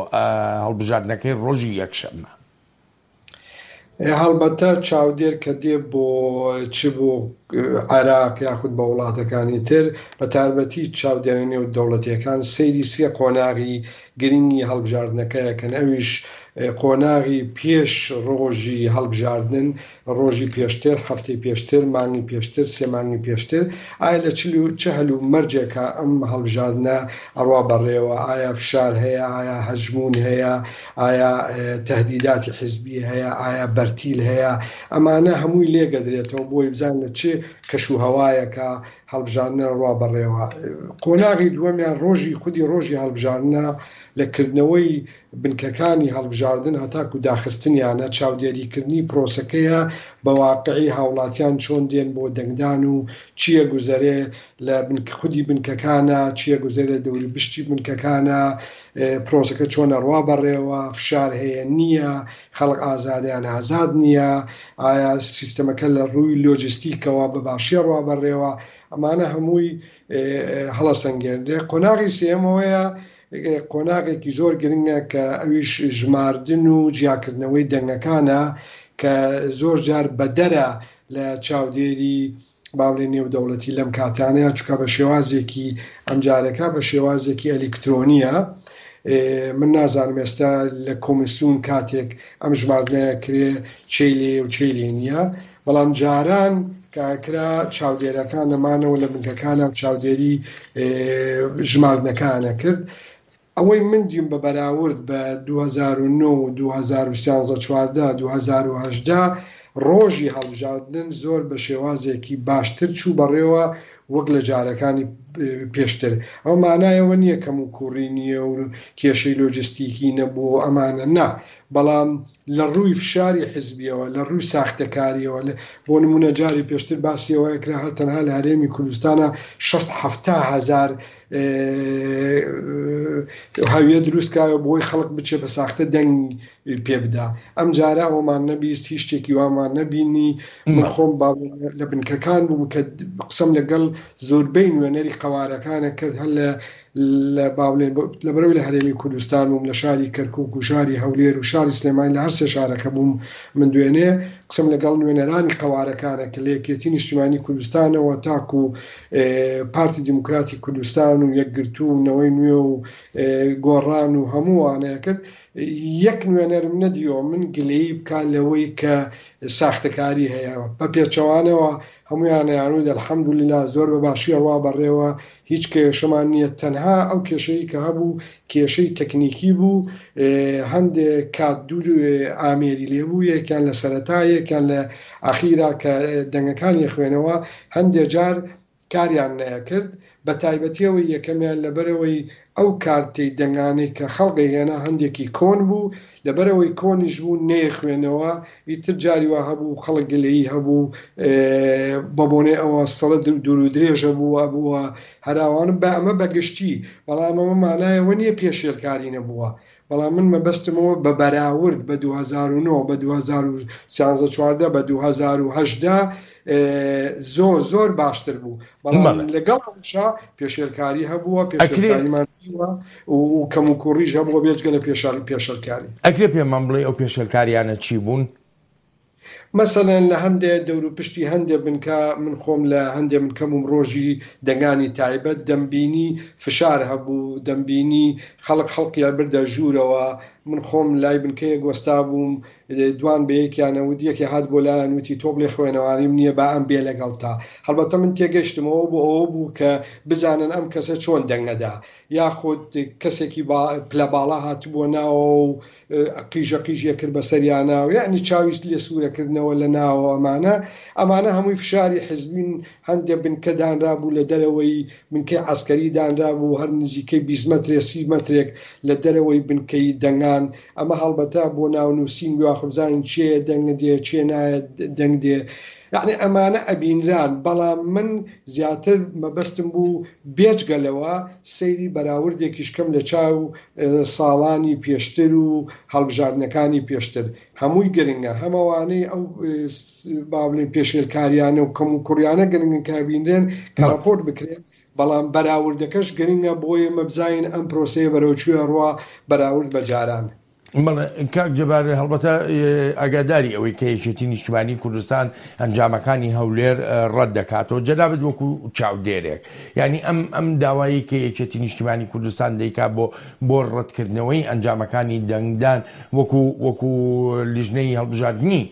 هەڵبژاردنەکەی ڕۆژی یەکشەممە؟ هەڵبەتە چاودێر کە دێ بۆ چ بۆ عێراق یاخود بە وڵاتەکانی تر بە تاربەتی چاودێرە نێو دەوڵەتیەکان سەیری سێ قۆناغی گرنگی هەڵبژاردنەکە ئەکەن ئەویش قۆناغی پێش ڕۆژی هەڵبژاردنن، ڕۆژی پێشتر، هەفتەی پێشتر، مانگی پێشتر، سێ مانگی پێشتر، ئایا لە چ هەل و مەرجێکا ئەم هەڵبژاردنە ئەڕوا بەڕێوە، ئایا فشار هەیە، ئایا هەژموون هەیە، ئایا تەهدیداتی حزبی هەیە، ئایا بەرتیل هەیە، ئەمانە هەمووی لێگەدرێتەوە بۆی بزانن لە چ کەش و هەوایەکا هەڵبژاردنە ڕوا بەڕێوە. قۆناغی دووەمیان ڕۆژی خودی ڕۆژی هەڵبژاردنە لە کردنەوەی بنکەکانی هەڵبژاردن هەتاکو داخستنیانە، چاودێریکردنی پرۆسەکەیە بە واقعی هاوڵاتیان چۆن دێن بۆ دەنگدان و چی ئەگوزەرێ لە خودی بنکەکانە، چی ئەگوزەرێ لە دەوروبشتی بنکەکانە، پرۆسەکە چۆن ئەڕوا بەڕێوە، فشار هەیە نییە، خەڵک ئازادە یان ئازاد نییە، ئایا سیستەمەکە لە ڕووی لۆجستیکەوە بە باشی ئەڕوا بەڕێوە، ئەمانە هەمووی هەڵەسەنگێنرێ. قۆناغی سێیەم ئەوەیە قۆناغێکی زۆر گرنگە کە ئەویش ژماردن و جیاکردنەوەی دەنگەکانە کە زۆر جار بەدەرە لە چاودێری با بڵێین نێودەوڵەتی لەم کاتانەیە چونکە بە شێوازێکی ئەمجارەکە بە شێوازێکی ئەلیکترۆنیە. من نازانم ئێستا لە کۆمیسیون کاتێک ئەم ژماردنە کرێ چێی لێیە و چێی لێ نییە، بەڵام جاران کە ئەکرا چاودێرەکان نەمانەوە لە بنکەکانە و چاودێری ژماردنەکان ئەکرد. ئەوەی من دیم بە بەراورد بە 2009 و 2013 14 2018 ڕۆژی هەڵبژاردن زۆر بە شێوازێکی باشتر چوو بەڕێوە وەک لە جارەکانی پێشتر. ئەوە مانای ئەوە نییە کەموکوڕی نییە و کێشەی لۆجستیکی نەبووە و ئەمانە، نا، بەڵام لە ڕووی فشاری حزبییەوە، لە ڕووی ساختەکارییەوە، بۆ نموونە جاری پێشتر باسی ئەوە ئەکرا هەر تەنها لە هەرێمی کوردستانا شەست حەفتا هەزار هەویە دروست کراوە بۆی خەڵک بچێ بە ساختە دەنگ پێ بدا. ئەمجارە ئەوەمان نەبیست، هیچ شتێکی وامان نەبینی. من خۆم لە بنکەکان بووم کە قسەم لەگەڵ زۆربەی نوێنەری قەوارەکانە کرد، هەر لە لە با بڵێین لەبەرئەوەی لە هەرێمی کوردستان بووم، لە شاری کەرکووک و شاری هەولێر و شاری سلێمانی، لە هەر سێ شارەکە بووم من دوێنێ قسەم لەگەڵ نوێنەرانی قەوارەکانە کرد، لە یەکێتی نیشتیمانی کوردستانەوە تاکو پارتی دیموکراتی کوردستان و یەکگرتوو و نەوەی نوێ و گۆڕان و هەموو وانەیە کرد. یەک نوێنەرم نەدیوە من گلەیی بکا لەوەی کە ساختەکاری هەیە، بە پێچەوانەوە هەموویان ئەیانوت الحمدللە زۆر بە باشی ئەڕوا بەڕێوە هیچ کێشەمان نییە، تەنها ئەو کێشەی کە هەبوو کێشەی تەکنیکی بوو هەندێ کات دوو ئامێری لێ بوو یەکیان لە سەرەتا یەکیان لە ئەخیرا کە دەنگەکانی خوێنەوە هەندێ جار کاریان نەئەکرد، بەتایبەتی ئەوەی یەکەمیان لەبەرئەوەی ئەو کارتەی دەنگانەی کە خەڵک ئەیهێنا هەندێکی کۆن بوو، لەبەرئەوەی کۆنیش بوو نەیەخوێنەوە، ئیتر جاری وا هەبوو خەڵک گلەیی هەبوو بەبۆنەی ئەوە سڵە دوورودرێژە بوو ئەبووە هەراوان، بە ئەمە بەگشتی، بەڵام ئەمە مانای ئەوە نییە پێشێلکاری نەبووە، بەڵام من مەبەستمەوە بە بەراورد بە 2009 بە 2013 14 بە 2018 زۆر زۆر باشتر بوو بەڵام لەگەڵ ئەوشا پێشێلکاری هەبووە پێشێلکاریمان دیوە و کەم و کوڕیش هەبووە بێجگە لە پێشال پێشێلکاری. ئەکرێ پێمان بڵێی ئەو پێشێلکاریانە چی بوون؟ مەسەلەن لە هەندێ دەوروپشتی هەندێ بنکە، من خۆم لە هەندێ بنکە بووم ڕۆژی دەنگانی تایبەت دەمبینی فشار هەبوو، دەمبینی خەڵک خەڵکی ئەبردە ژوورەوە، من خۆم لای بنکەیەک وەستابووم دوان بە یەکیان ئەوت یەکێ هات بۆ لایان وتی تۆ بڵێ خوێنەواریم نییە با ئەم بێ لەگەڵتا، هەڵبەتە من تێگەشتم ئەوە بۆ ئەوە بوو کە بزانن ئەم کەسە چۆن دەنگ ئەدا، یاخود کەسێکی پلە باڵا هاتبووە ناوەوە و قیژە قیژی ئەکرد بەسەریانا و یەعنی چاوی لێ سوورەکردنەوە لە ناوەوە ئەمانە ئەمانە هەمووی فشاری حزبین هەندێ بنکە دانرابوو لە دەرەوەی بنکەی عەسکەری دانرابوو هەر نزیکەی 20 مەترێ 30 مەترێک لە دەرەوەی بنکەی دەنگان ئەمە هەڵبەتە بۆ ناونووسین یاخود بزانین کێ دەنگ دێ کێ نایە دەنگ دێ یەعنی ئەمانە ئەبینران بەڵام من زیاتر مەبەستم بوو بێجگە لەوە سەیری بەراوردێکیش کەم لە چاو ساڵانی پێشتر و هەڵبژاردنەکانی پێشتر هەمووی گرنگە هەم ئەوانەی ئەو با بڵێین پێشێلکاریانە و کەموکوڕیانە گرنگن کە بینرێن کە ڕاپۆرت بکرێن بەڵام بەراوردەکەش گرنگە بۆ ئێمە بزانین ئەم پرۆسەیە بەرەو کوێ ڕوا بەراورد بە جاران. بەڵێ کاک جەبار هەڵبەتە ئاگاداری ئەوەی کە یەکێتی نیشتمانی کوردستان ئەنجامەکانی هەولێر ڕەت دەکاتەوە جەنابت وەکو چاودێرێک یعنی ئەم ئەم داوایی کە یەکێتی نیشتمانی کوردستان دەیکا بۆ بۆ ڕەتکردنەوەی ئەنجامەکانی دەنگدان وەکو وەکو لیژنەی هەڵبژاردنی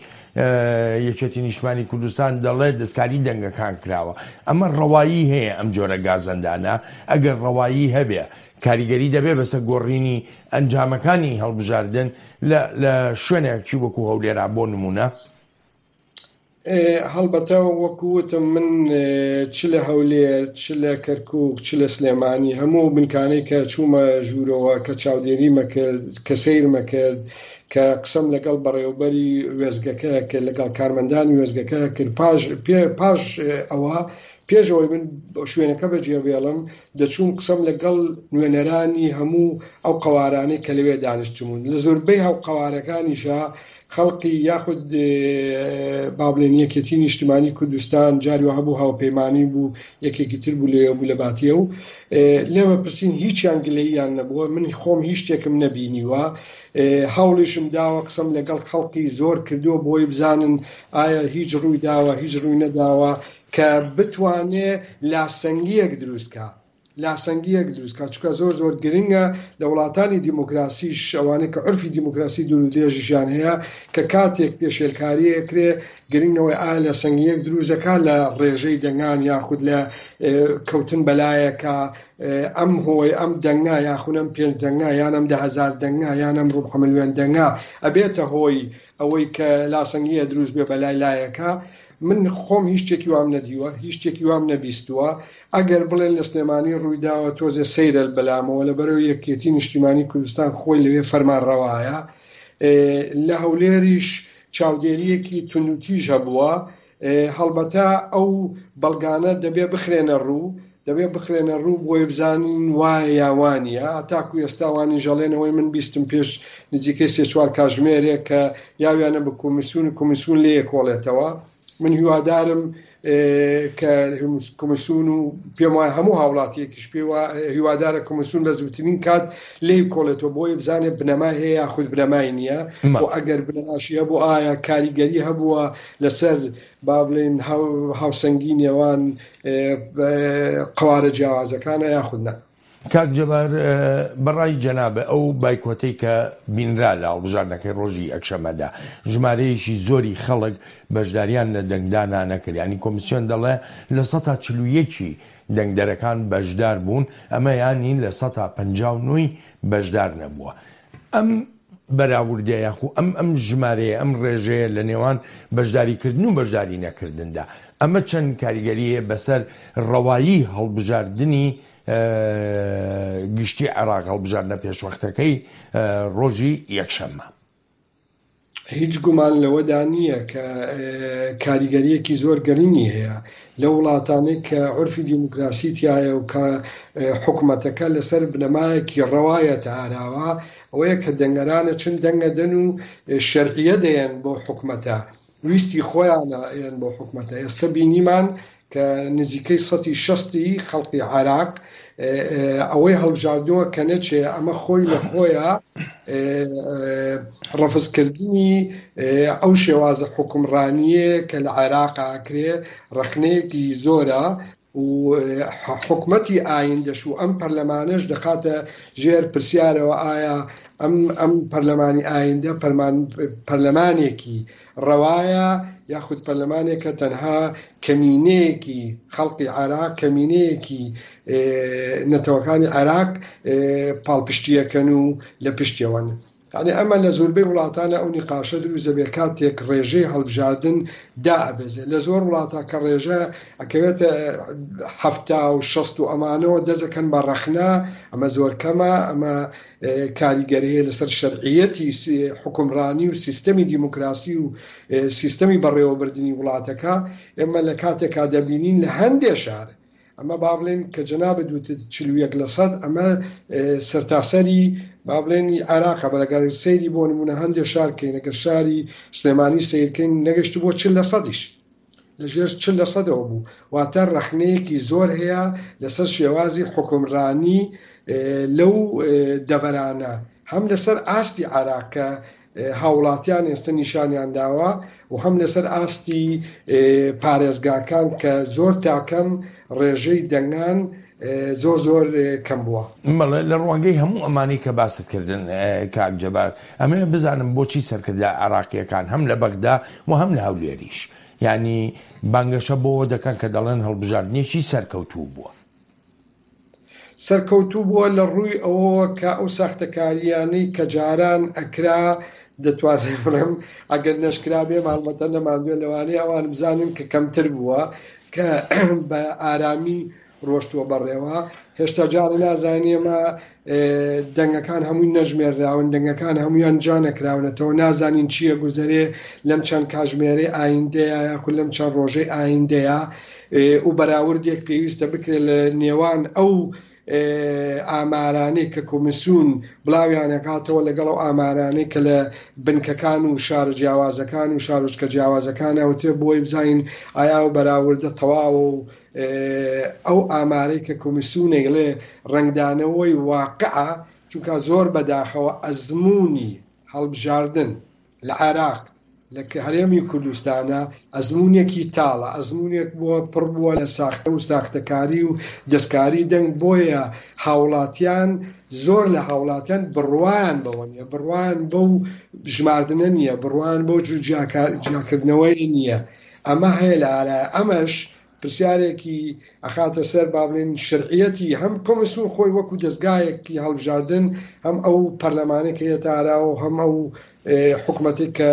یەکێتی نیشتمانی کوردستان دەڵێت دەستکاری دەنگەکان کراوە ئەمە ڕەوایی هەیە ئەم جۆرە گازەندانە ئەگەر ڕەوایی هەبێ کاریگەری دەبێ بەسەر گۆڕینی ئەنجامەکانی هەڵبژاردن لە لە شوێنێکی وەکو هەولێرا بۆ نموونە؟ هەڵبەتە وەکو وتم من چ لە هەولێر چ لە کەرکوک چ لە سلێمانی هەموو بنکانەی کە چوومە ژوورەوە کە چاودێریمە کرد کە سەیرمە کرد کە قسەم لەگەڵ بەڕێوبەری وێستگەکە کرد لەگەڵ کارمەندانی وێستگەکە کرد پاش پاش ئەوە پێش ئەوەی من شوێنەکە بەجێبێڵم دەچووم قسەم لەگەڵ نوێنەرانی هەموو ئەو قەوارانەی کە لەوێ دانیشتبوون، لە زۆربەی هەو قەوارەکانیشا خەڵقی یاخود با بڵێن یەکێتی نیشتمانی کوردستان جاری وا هەبوو هاوپەیمانی بوو یەکێکی تر بوو لەوێ بوو لە باتیە و لێمە پرسین هیچیان گلەییان نەبووە من خۆم هیچ شتێکم نەبینیوە هەوڵیشم داوە قسەم لەگەڵ خەڵقی زۆر کردووە بۆی بزانن ئایا هیچ ڕووی داوە هیچ ڕووی نەداوە کە بتوانێ لاسەنگییەک دروست کا. لاسەنگییەک دروست کا چونکە زۆر زۆر گرنگە لە وڵاتانی دیموکراسیش ئەوانەی کە عورفی دیموکراسی دوور و درێژیشیان هەیە کە کاتێک پێشێلکاری ئەکرێ گرنگ ئەوەیە ئایا لاسەنگییەک دروست دەکا لە ڕێژەی دەنگان یاخود لە کەوتن بەلایەکا ئەم هۆی ئەم دەنگە یاخود ئەم پێنج دەنگە یان ئەم 10هزار دەنگە یان ئەم ڕوبع ملیۆن دەنگە ئەبێتە هۆی ئەوەی کە لاسەنگیە دروست بێ بەلای لایەکە من خۆم هیچ شتێکی وام نەدیوە هیچ شتێکی وام نەبیستووە ئەگەر بڵێن لە سلێمانی ڕوویداوە تۆزێ سەیرە بەلامەوە لەبەرەوەی یەکێتی نیشتیمانی کوردستان خۆی لەوێ فەرمانڕەوایە لە هەولێریش چاودێریەکی توندوتیژ هەبووە هەڵبەتە ئەو بەڵگانە دەبێ بخرێنە ڕوو دەبێ بخرێنە ڕوو بۆی بزانین وایە یا وانە تاکو ئێستا وانی ژەڵێنەوەی من بیستم پێش نزیکەی سێ چوار کاژمێرێک کە یاویانە بە کۆمیسیون و کۆمیسیون لێ کۆڵێتەوە من هیوادارم کە کۆمیسیون و پێم وایە هەموو هاوڵاتیەکیش پێ هیوادارە کۆمیسیون بە زووترین کات لێی کۆڵێتەوە بۆی بزانێت بنەمای هەیە یاخود بنەمای نییە و ئەگەر بنەماشی هەبوو ئایا کاریگەری هەبووە لەسەر با بڵێین هاوسەنگی نێوان قەوارە جیاوازەکانە یاخود نا. کاک جەبار بەڕای جەنابت ئەو بایکۆتەی کە بینرا لە هەڵبژاردنەکەی ڕۆژی یەکشەممەدا ژمارەیەکی زۆری خەڵک بەشداریان لە دەنگدانا نەکرد یانی کۆمیسیۆن دەڵێ 41% ی دەنگدەرەکان بەشدار بوون ئەمە یانی 59% ی بەشدار نەبووە ئەم بەراوردە یاخو ئەم ئەم ژمارەیە ئەم ڕێژەیە لە نێوان بەشداریکردن و بەشداری نەکردندا ئەمە چەند کاریگەری هەیە بەسەر ڕەوایی هەڵبژاردنی گشتی عێراق هەڵبژاردنە پێشوەختەکەی ڕۆژی یەکشەممە؟ هیچ گومان لەوەدا نییە کە کاریگەرییەکی زۆر گەرینی هەیە لەو وڵاتانەی کە عورفی دیموکراسی تیایە و کە حکومەتەکە لەسەر بنەمایەکی ڕەوایە تاراوە ئەوەیە کە دەنگەرانە چن دەنگەدەن و شەرعیە دەیەن بۆ حکومەتە ویستی خۆیانە یەن بۆ حکومەتە ئێستا بینیمان کە نزیکەی سەتی شەستی خەڵقی عێراق ئەوەی هەڵبژاردووە کە نەچێ ئەمە خۆی لە خۆیە ڕەفزکردنی ئەو شێوازە حکومڕانییە کە لە عێراق ئاکرێ ڕەخنەیەکی زۆرە و حکومەتی ئایندەش و ئەم پەرلەمانەش دەخاتە ژێر پرسیارەوە ئایا ئەم ئەم پەرلەمانی ئایندە پەرلەمانێکی ڕەوایە یاخود پەرلەمانێکە تەنها کەمینەیەکی خەڵقی عێراق کەمینەیەکی نەتەوەکانی عێراق پاڵپشتیەکەن و لە پشتیەوەن. یانی ئەمە لە زۆربەی وڵاتانە ئەو نیقاشە دروست دەبێت کاتێک ڕێژەی هەڵبژاردن دائەبەزێ لە زۆر وڵاتە کە ڕێژە ئەکەوێتە 70 و 60 و ئەمانەوە دەزەکەن بە ڕەخنە ئەمە زۆر کەمە ئەمە کاریگەری هەیە لەسەر شەرعیەتی حوکمڕانی و سیستەمی دیموکراسی و سیستەمی بەڕێوەبردنی وڵاتەکە ئێمە لە کاتێکا دەبینین لە هەندێ شار ئەمە با بڵێن کە جەنابت وتت 41 لە سەد ئەمە سەرتاسەری با بڵێن عێراقە بە لەگەڵ سەیری بۆ نمونە هەندێ شار کەین ئەگەر شاری سلێمانی سەیرکەین نەگەشت بۆ 40 لە سەدیش لە ژێر 40 لە سەدەوە بوو واتە ڕەخنەیەکی زۆر هەیە لەسەر شێوازی حوکمڕانی لەو دەڤەرانە هەم لەسەر ئاستی عێراق کە هاوڵاتیان ئێستا نیشانیان داوە و هەم لەسەر ئاستی پارێزگاکان کە زۆر تاکەم ڕێژەی دەنگان زۆر زۆر کەم بووە. بەڵێ لە ڕوانگەی هەموو ئەمانەی کە باست کردن کاک جەبار ئەمەوێ بزانم بۆچی سەرکردە عێراقییەکان هەم لە بەغدا و هەم لە هەولێریش یانی بانگەشە بۆوە دەکەن کە دەڵێن هەڵبژاردنێکی سەرکەوتوو بووە. سەرکەوتوو بووە لە ڕووی ئەوەوە کە ئەو ساختەکارییانەی کە جاران ئەکرا دەتوانم بڵێم ئەگەر نەشکرابێ ماڵمەتە نەماندوێ لەوانەیە ئەوان بزانن کە کەمتر بووە کە بە ئارامی ڕۆشتووە بەڕێوە هێشتا جارە نازانین ئێمە دەنگەکان هەمووی نەژمێرراون دەنگەکان هەمویان جا نەکراونەتەوە نازانین چییە گوزەرێ لەم چەند کاژمێرەی ئایندەیە یاخود لەم چەند ڕۆژەی ئایندەیە و بەراوردێک پێویستە بکرێت لە نێوان ئەو ئامارانەی کە کۆمیسیون بڵاویانەکاتەوە لەگەڵ ئەو ئامارانەی کە لە بنکەکان و شارە جیاوازەکان و شارۆچکە جیاوازەکان ئەوترێ بۆی بزانین ئایا ئەو بەراوردە تەواوە و ئەو ئامارەی کە کۆمیسیون ئەیڵێ ڕەنگدانەوەی واقعە چونکە زۆر بەداخەوە ئەزموونی هەڵبژاردن لە عێراق. لە هەرێمی کوردستانا ئەزموونێکی تاڵە، ئەزموونێک بووە پڕ بووە لە ساختە و ساختەکاری و دەستکاری دەنگ، بۆیە هاوڵاتیان زۆر لە هاوڵاتیان بڕوایان بەوە نییە، بڕوایان بەو ژماردنە نییە، بڕوایان بەو جیاکردنەوەیە نییە، ئەمە هەیە لە ئارایە، ئەمەش پرسیارێکی ئەخاتە سەر با بڵێین شەرعیەتی هەم کۆمسیۆن خۆی وەکو دەزگایەکی هەڵبژاردن هەم ئەو پەرلەمانەی کە یەتە ئاراوە و هەم ئەو حکومەتێک کە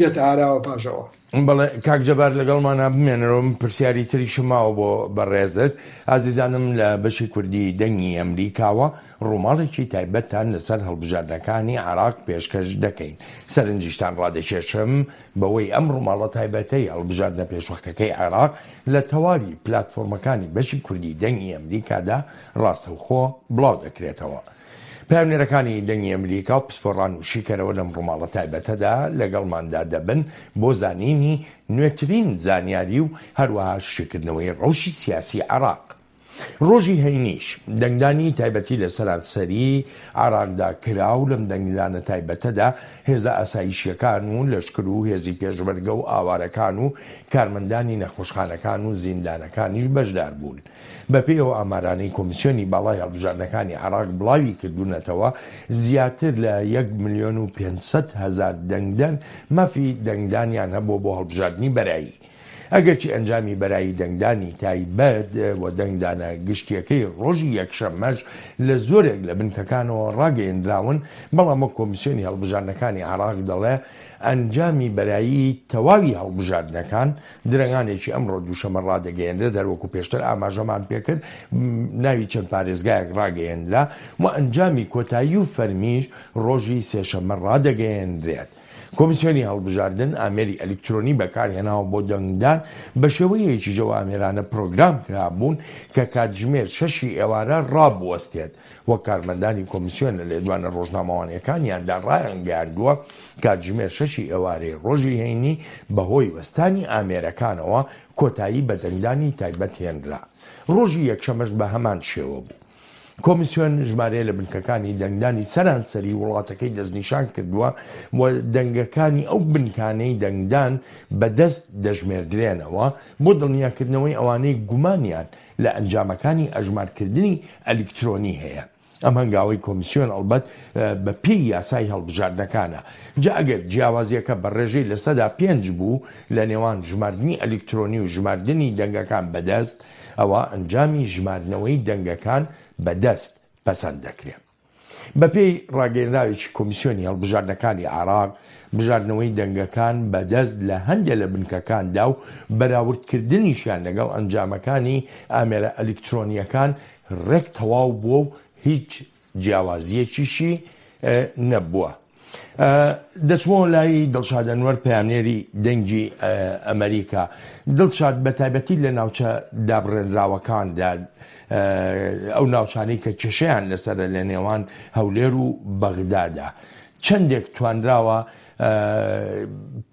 یەتە ئاراوە پاشەوە. بەڵێ کاک جەبار لەگەڵمانا بمێنەرەوە من پرسیاری تریشم ماوە بۆ بەڕێزت ئازیزانم لە بەشی کوردی دەنگی ئەمریکاوە ڕووماڵێکی تایبەتتان لەسەر هەڵبژاردنەکانی عێراق پێشکەش دەکەین سەرنجیشتان ڕادەکێشم بەوەی ئەم ڕووماڵە تایبەتەی هەڵبژاردنە پێشوەختەکەی عێراق لە تەواوی پلاتفۆرمەکانی بەشی کوردی دەنگی ئەمریکادا ڕاستەوخۆ بڵاو دەکرێتەوە. پەیامنێرەکانی دەنگی ئەمریکا و پسپۆڕان و شیکەرەوە لەم ڕووماڵە تایبەتەدا لەگەڵماندا دەبن بۆ زانینی نوێترین زانیاری و هەروەها شیکردنەوەی ڕەوشی سیاسی عێراق. ڕۆژی هەینیش دەنگدانی تایبەتی لە سەرانسەری عێراقدا کرا و لەم دەنگدانە تایبەتەدا هێزە ئاسایشییەکان و لەشکر و هێزی پێشمەرگە و ئاوارەکان و کارمەندانی نەخۆشخانەکان و زیندانەکانیش بەشدار بوون. بەپێی ئەو ئامارانەی کۆمیسیۆنی باڵای هەڵبژاردنەکانی عێراق بڵاوی کردوونەتەوە، زیاتر لە یەک ملیۆن و 500 هەزار دەنگدەر مافی دەنگدانیان هەبووە بۆ هەڵبژاردنی بەرایی. ئەگەرچی ئەنجامی بەرایی دەنگدانی تایبەت و دەنگدانە گشتییەکەی ڕۆژی یەکشەممەش لە زۆرێک لە بنکەکانەوە ڕاگەیەندراون، بەڵام وەک کۆمیسیۆنی هەڵبژاردنەکانی عێراق دەڵێ ئەنجامی بەرایی تەواوی هەڵبژاردنەکان درەنگانێکی ئەمڕۆ دووشەمە ڕادەگەیەنرێت، هەروەکو پێشتر ئاماژەمان پێکرد ناوی چەند پارێزگایەک ڕاگەیەنرا و ئەنجامی کۆتایی و فەرمیش ڕۆژی سێشەممە ڕادەگەیەنرێت. کۆمیسیۆنی هەڵبژاردن ئامێری ئەلیکترۆنی بەکارهێناوە بۆ دەنگدان، بەشێوەیەکیش ئەو ئامێرانە پرۆگرام کرابوون کە کاتژمێر شەشی ئێوارە ڕابوەستێت، وەک کارمەندانی کۆمیسیۆن لە لێدوانە ڕۆژنامەوانییەکانیاندا ڕایانگەیاندووە، کاتژمێر شەشی ئێوارەی ڕۆژی هەینی بەهۆی وەستانی ئامێرەکانەوە کۆتایی بە دەنگدانی تایبەت هێنرا، ڕۆژی یەکشەمەش بەهەمان شێوە بوو. کۆمیسیۆن ژمارەیە لە بنکەکانی دەنگدانی سەرانسەری وڵاتەکەی دەستنیشان کردووە و دەنگەکانی ئەو بنکانەی دەنگدان بە دەست دەژمێردرێنەوە بۆ دڵنیاکردنەوەی ئەوانەی گومانیان لە ئەنجامەکانی ئەژمارکردنی ئەلیکترۆنی هەیە. ئەم هەنگاوەی کۆمیسیۆن ئەڵبەت بە پێی یاسای هەڵبژاردنەکانە. جا ئەگەر جیاوازییەکە بە ڕێژەی 5% بوو لە نێوان ژماردنی ئەلیکترۆنی و ژماردنی دەنگەکان بە دەست، ئەوا ئەنجامی ژماردنەوەی دەنگەکان بە دەست پەسەند دەکرێت. بەپێی ڕاگەیەنراوێکی کۆمیسیۆنی هەڵبژاردنەکانی عێراق، بژاردنەوەی دەنگەکان بە دەست لە هەندێ لە بنکەکاندا و بەراوردکردنیشیان لەگەڵ ئەنجامەکانی ئامێرە ئەلیکترۆنییەکان ڕێک تەواو بووە و هیچ جیاوازییەکیشی نەبووە. دەچمەوە لای دڵشاد ئەنوەر پەیامنێری دەنگی ئەمەریکا. دڵشاد بە تایبەتی لە ناوچە دابڕێنراوەکاندا ئەو ناوچانەی کە کێشەیان لەسەرە لە نێوان هەولێر و بەغدادا چەندێک توانراوە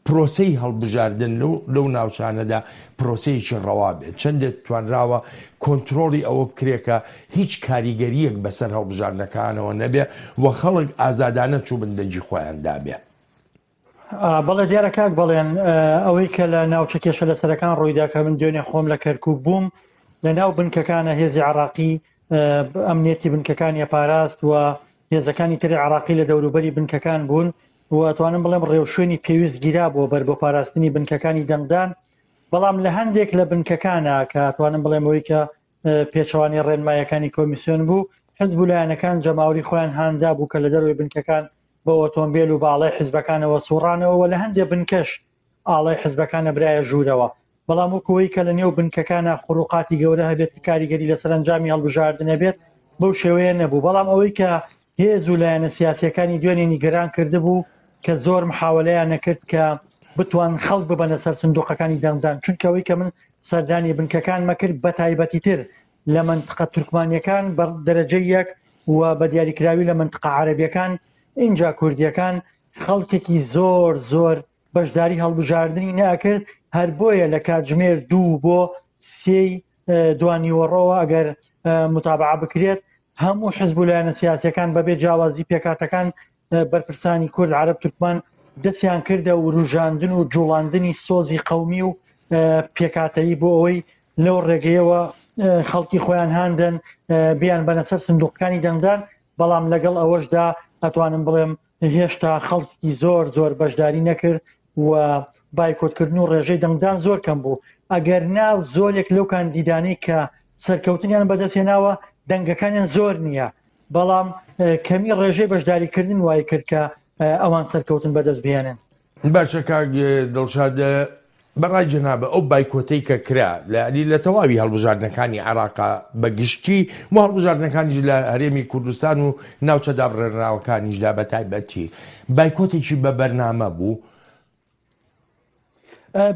پرۆسەی هەڵبژاردن لەو ناوچانەدا پرۆسەیەکی ڕەوا بێت، چەندێک توانراوە کۆنترۆڵی ئەوە بکرێت کە هیچ کاریگەرییەک بەسەر هەڵبژاردنەکانەوە نەبێ و خەڵک ئازادانە چووبن دەنگی خۆیان دابێ؟ بەڵێ دیارە کاک بەڵێن، ئەوەی کە لە ناوچە کێشە لەسەرەکان ڕوویدا کە من دوێنێ خۆم لە کەرکووک بووم لە ناو بنکەکانە هێزی عراقی ئەمنیەتی بنکەکانی پاراست و هێزەکانی تری عراقی لە دەوروبەری بنکەکان بوون و ئەتوانم بڵێم ڕێوشوێنی پێویست گیرابووە بەر بۆ پاراستنی بنکەکانی دەنگدان، بەڵام لە هەندێک لە بنکەکانە کە ئەتوانم بڵێم ئەوەی کە پێچەوانەی ڕێنمایەکانی کۆمیسیۆن بوو، حزب و لایەنەکان جەماوەری خۆیان هاندا بوو کە لە دەرەوەی بنکەکان بە ئۆتۆمبێل و باڵای حزبەکانەوە سوڕانەوە و لە هەندێک بنکەش ئاڵای حزبەکان نەبرایە ژوورەوە، بەڵام وەکو ئەوەی کە لە نێو بنکەکانا خروقاتی گەورە هەبێت کە کاریگەری لەسەر ئەنجامی هەڵبژاردن هەبێت بەو شێوەیە نەبوو، بەڵام ئەوەی کە هێز و لایەنە سیاسیەکانی دوێنێ نیگەران کردبوو کە زۆر محاوەلەیان نەکرد کە بتوان خەڵک ببەنە سەر سندوقەکانی دەنگدان، چونکە ئەوەی کە من سەردانی بنکەکانمە کرد بە تایبەتیتر لە مەنتقە تورکمانیەکان بە دەرەجەی یەک و بە دیاریکراوی لە مەنتقە عەرەبیەکان ئینجا کوردیەکان خەڵکێکی زۆر زۆر بەشداری هەڵبژاردنی نەئەکرد، هەر بۆیە لە کاتژمێر دوو بۆ سێی دوانیوەڕۆوە ئەگەر متابعە بکرێت هەموو حزب و لایەنە سیاسیەکان بەبێ جیاوازی پێکهاتەکان بەرپرسانی کورد، عەرەب، تورکمان دەستیان کردە وروژاندن و جوڵاندنی سۆزی قەومی و پێکهاتەیی بۆ ئەوەی لەو ڕێگەیەوە خەڵکی خۆیان هاندەن بیان بەنە سەر سندوقەکانی دەنگدان، بەڵام لەگەڵ ئەوەشدا ئەتوانم بڵێم هێشتا خەڵکی زۆر زۆر بەشداری نەکرد و بایکۆتکردن و ڕێژەی دەنگدان زۆر کەم بوو، ئەگەر نا زۆرێک لەو کاندیدانەی کە سەرکەوتنیان بەدەستهێناوە دەنگەکانیان زۆر نییە، بەڵام کەمی ڕێژەی بەشداریکردن وای کرد کە ئەوان سەرکەوتن بەدەست بهێنن. باشە کاک دڵشاد بە ڕای جەنابت ئەو بایکۆتەی کە کرا لە یانی لە تەواوی هەڵبژاردنەکانی عێراقا بە گشتی و هەڵبژاردنەکانیش لە هەرێمی کوردستان و ناوچە دابڕێنراوەکانیشدا بە تایبەتی بایکۆتێکی بە بەرنامە بوو؟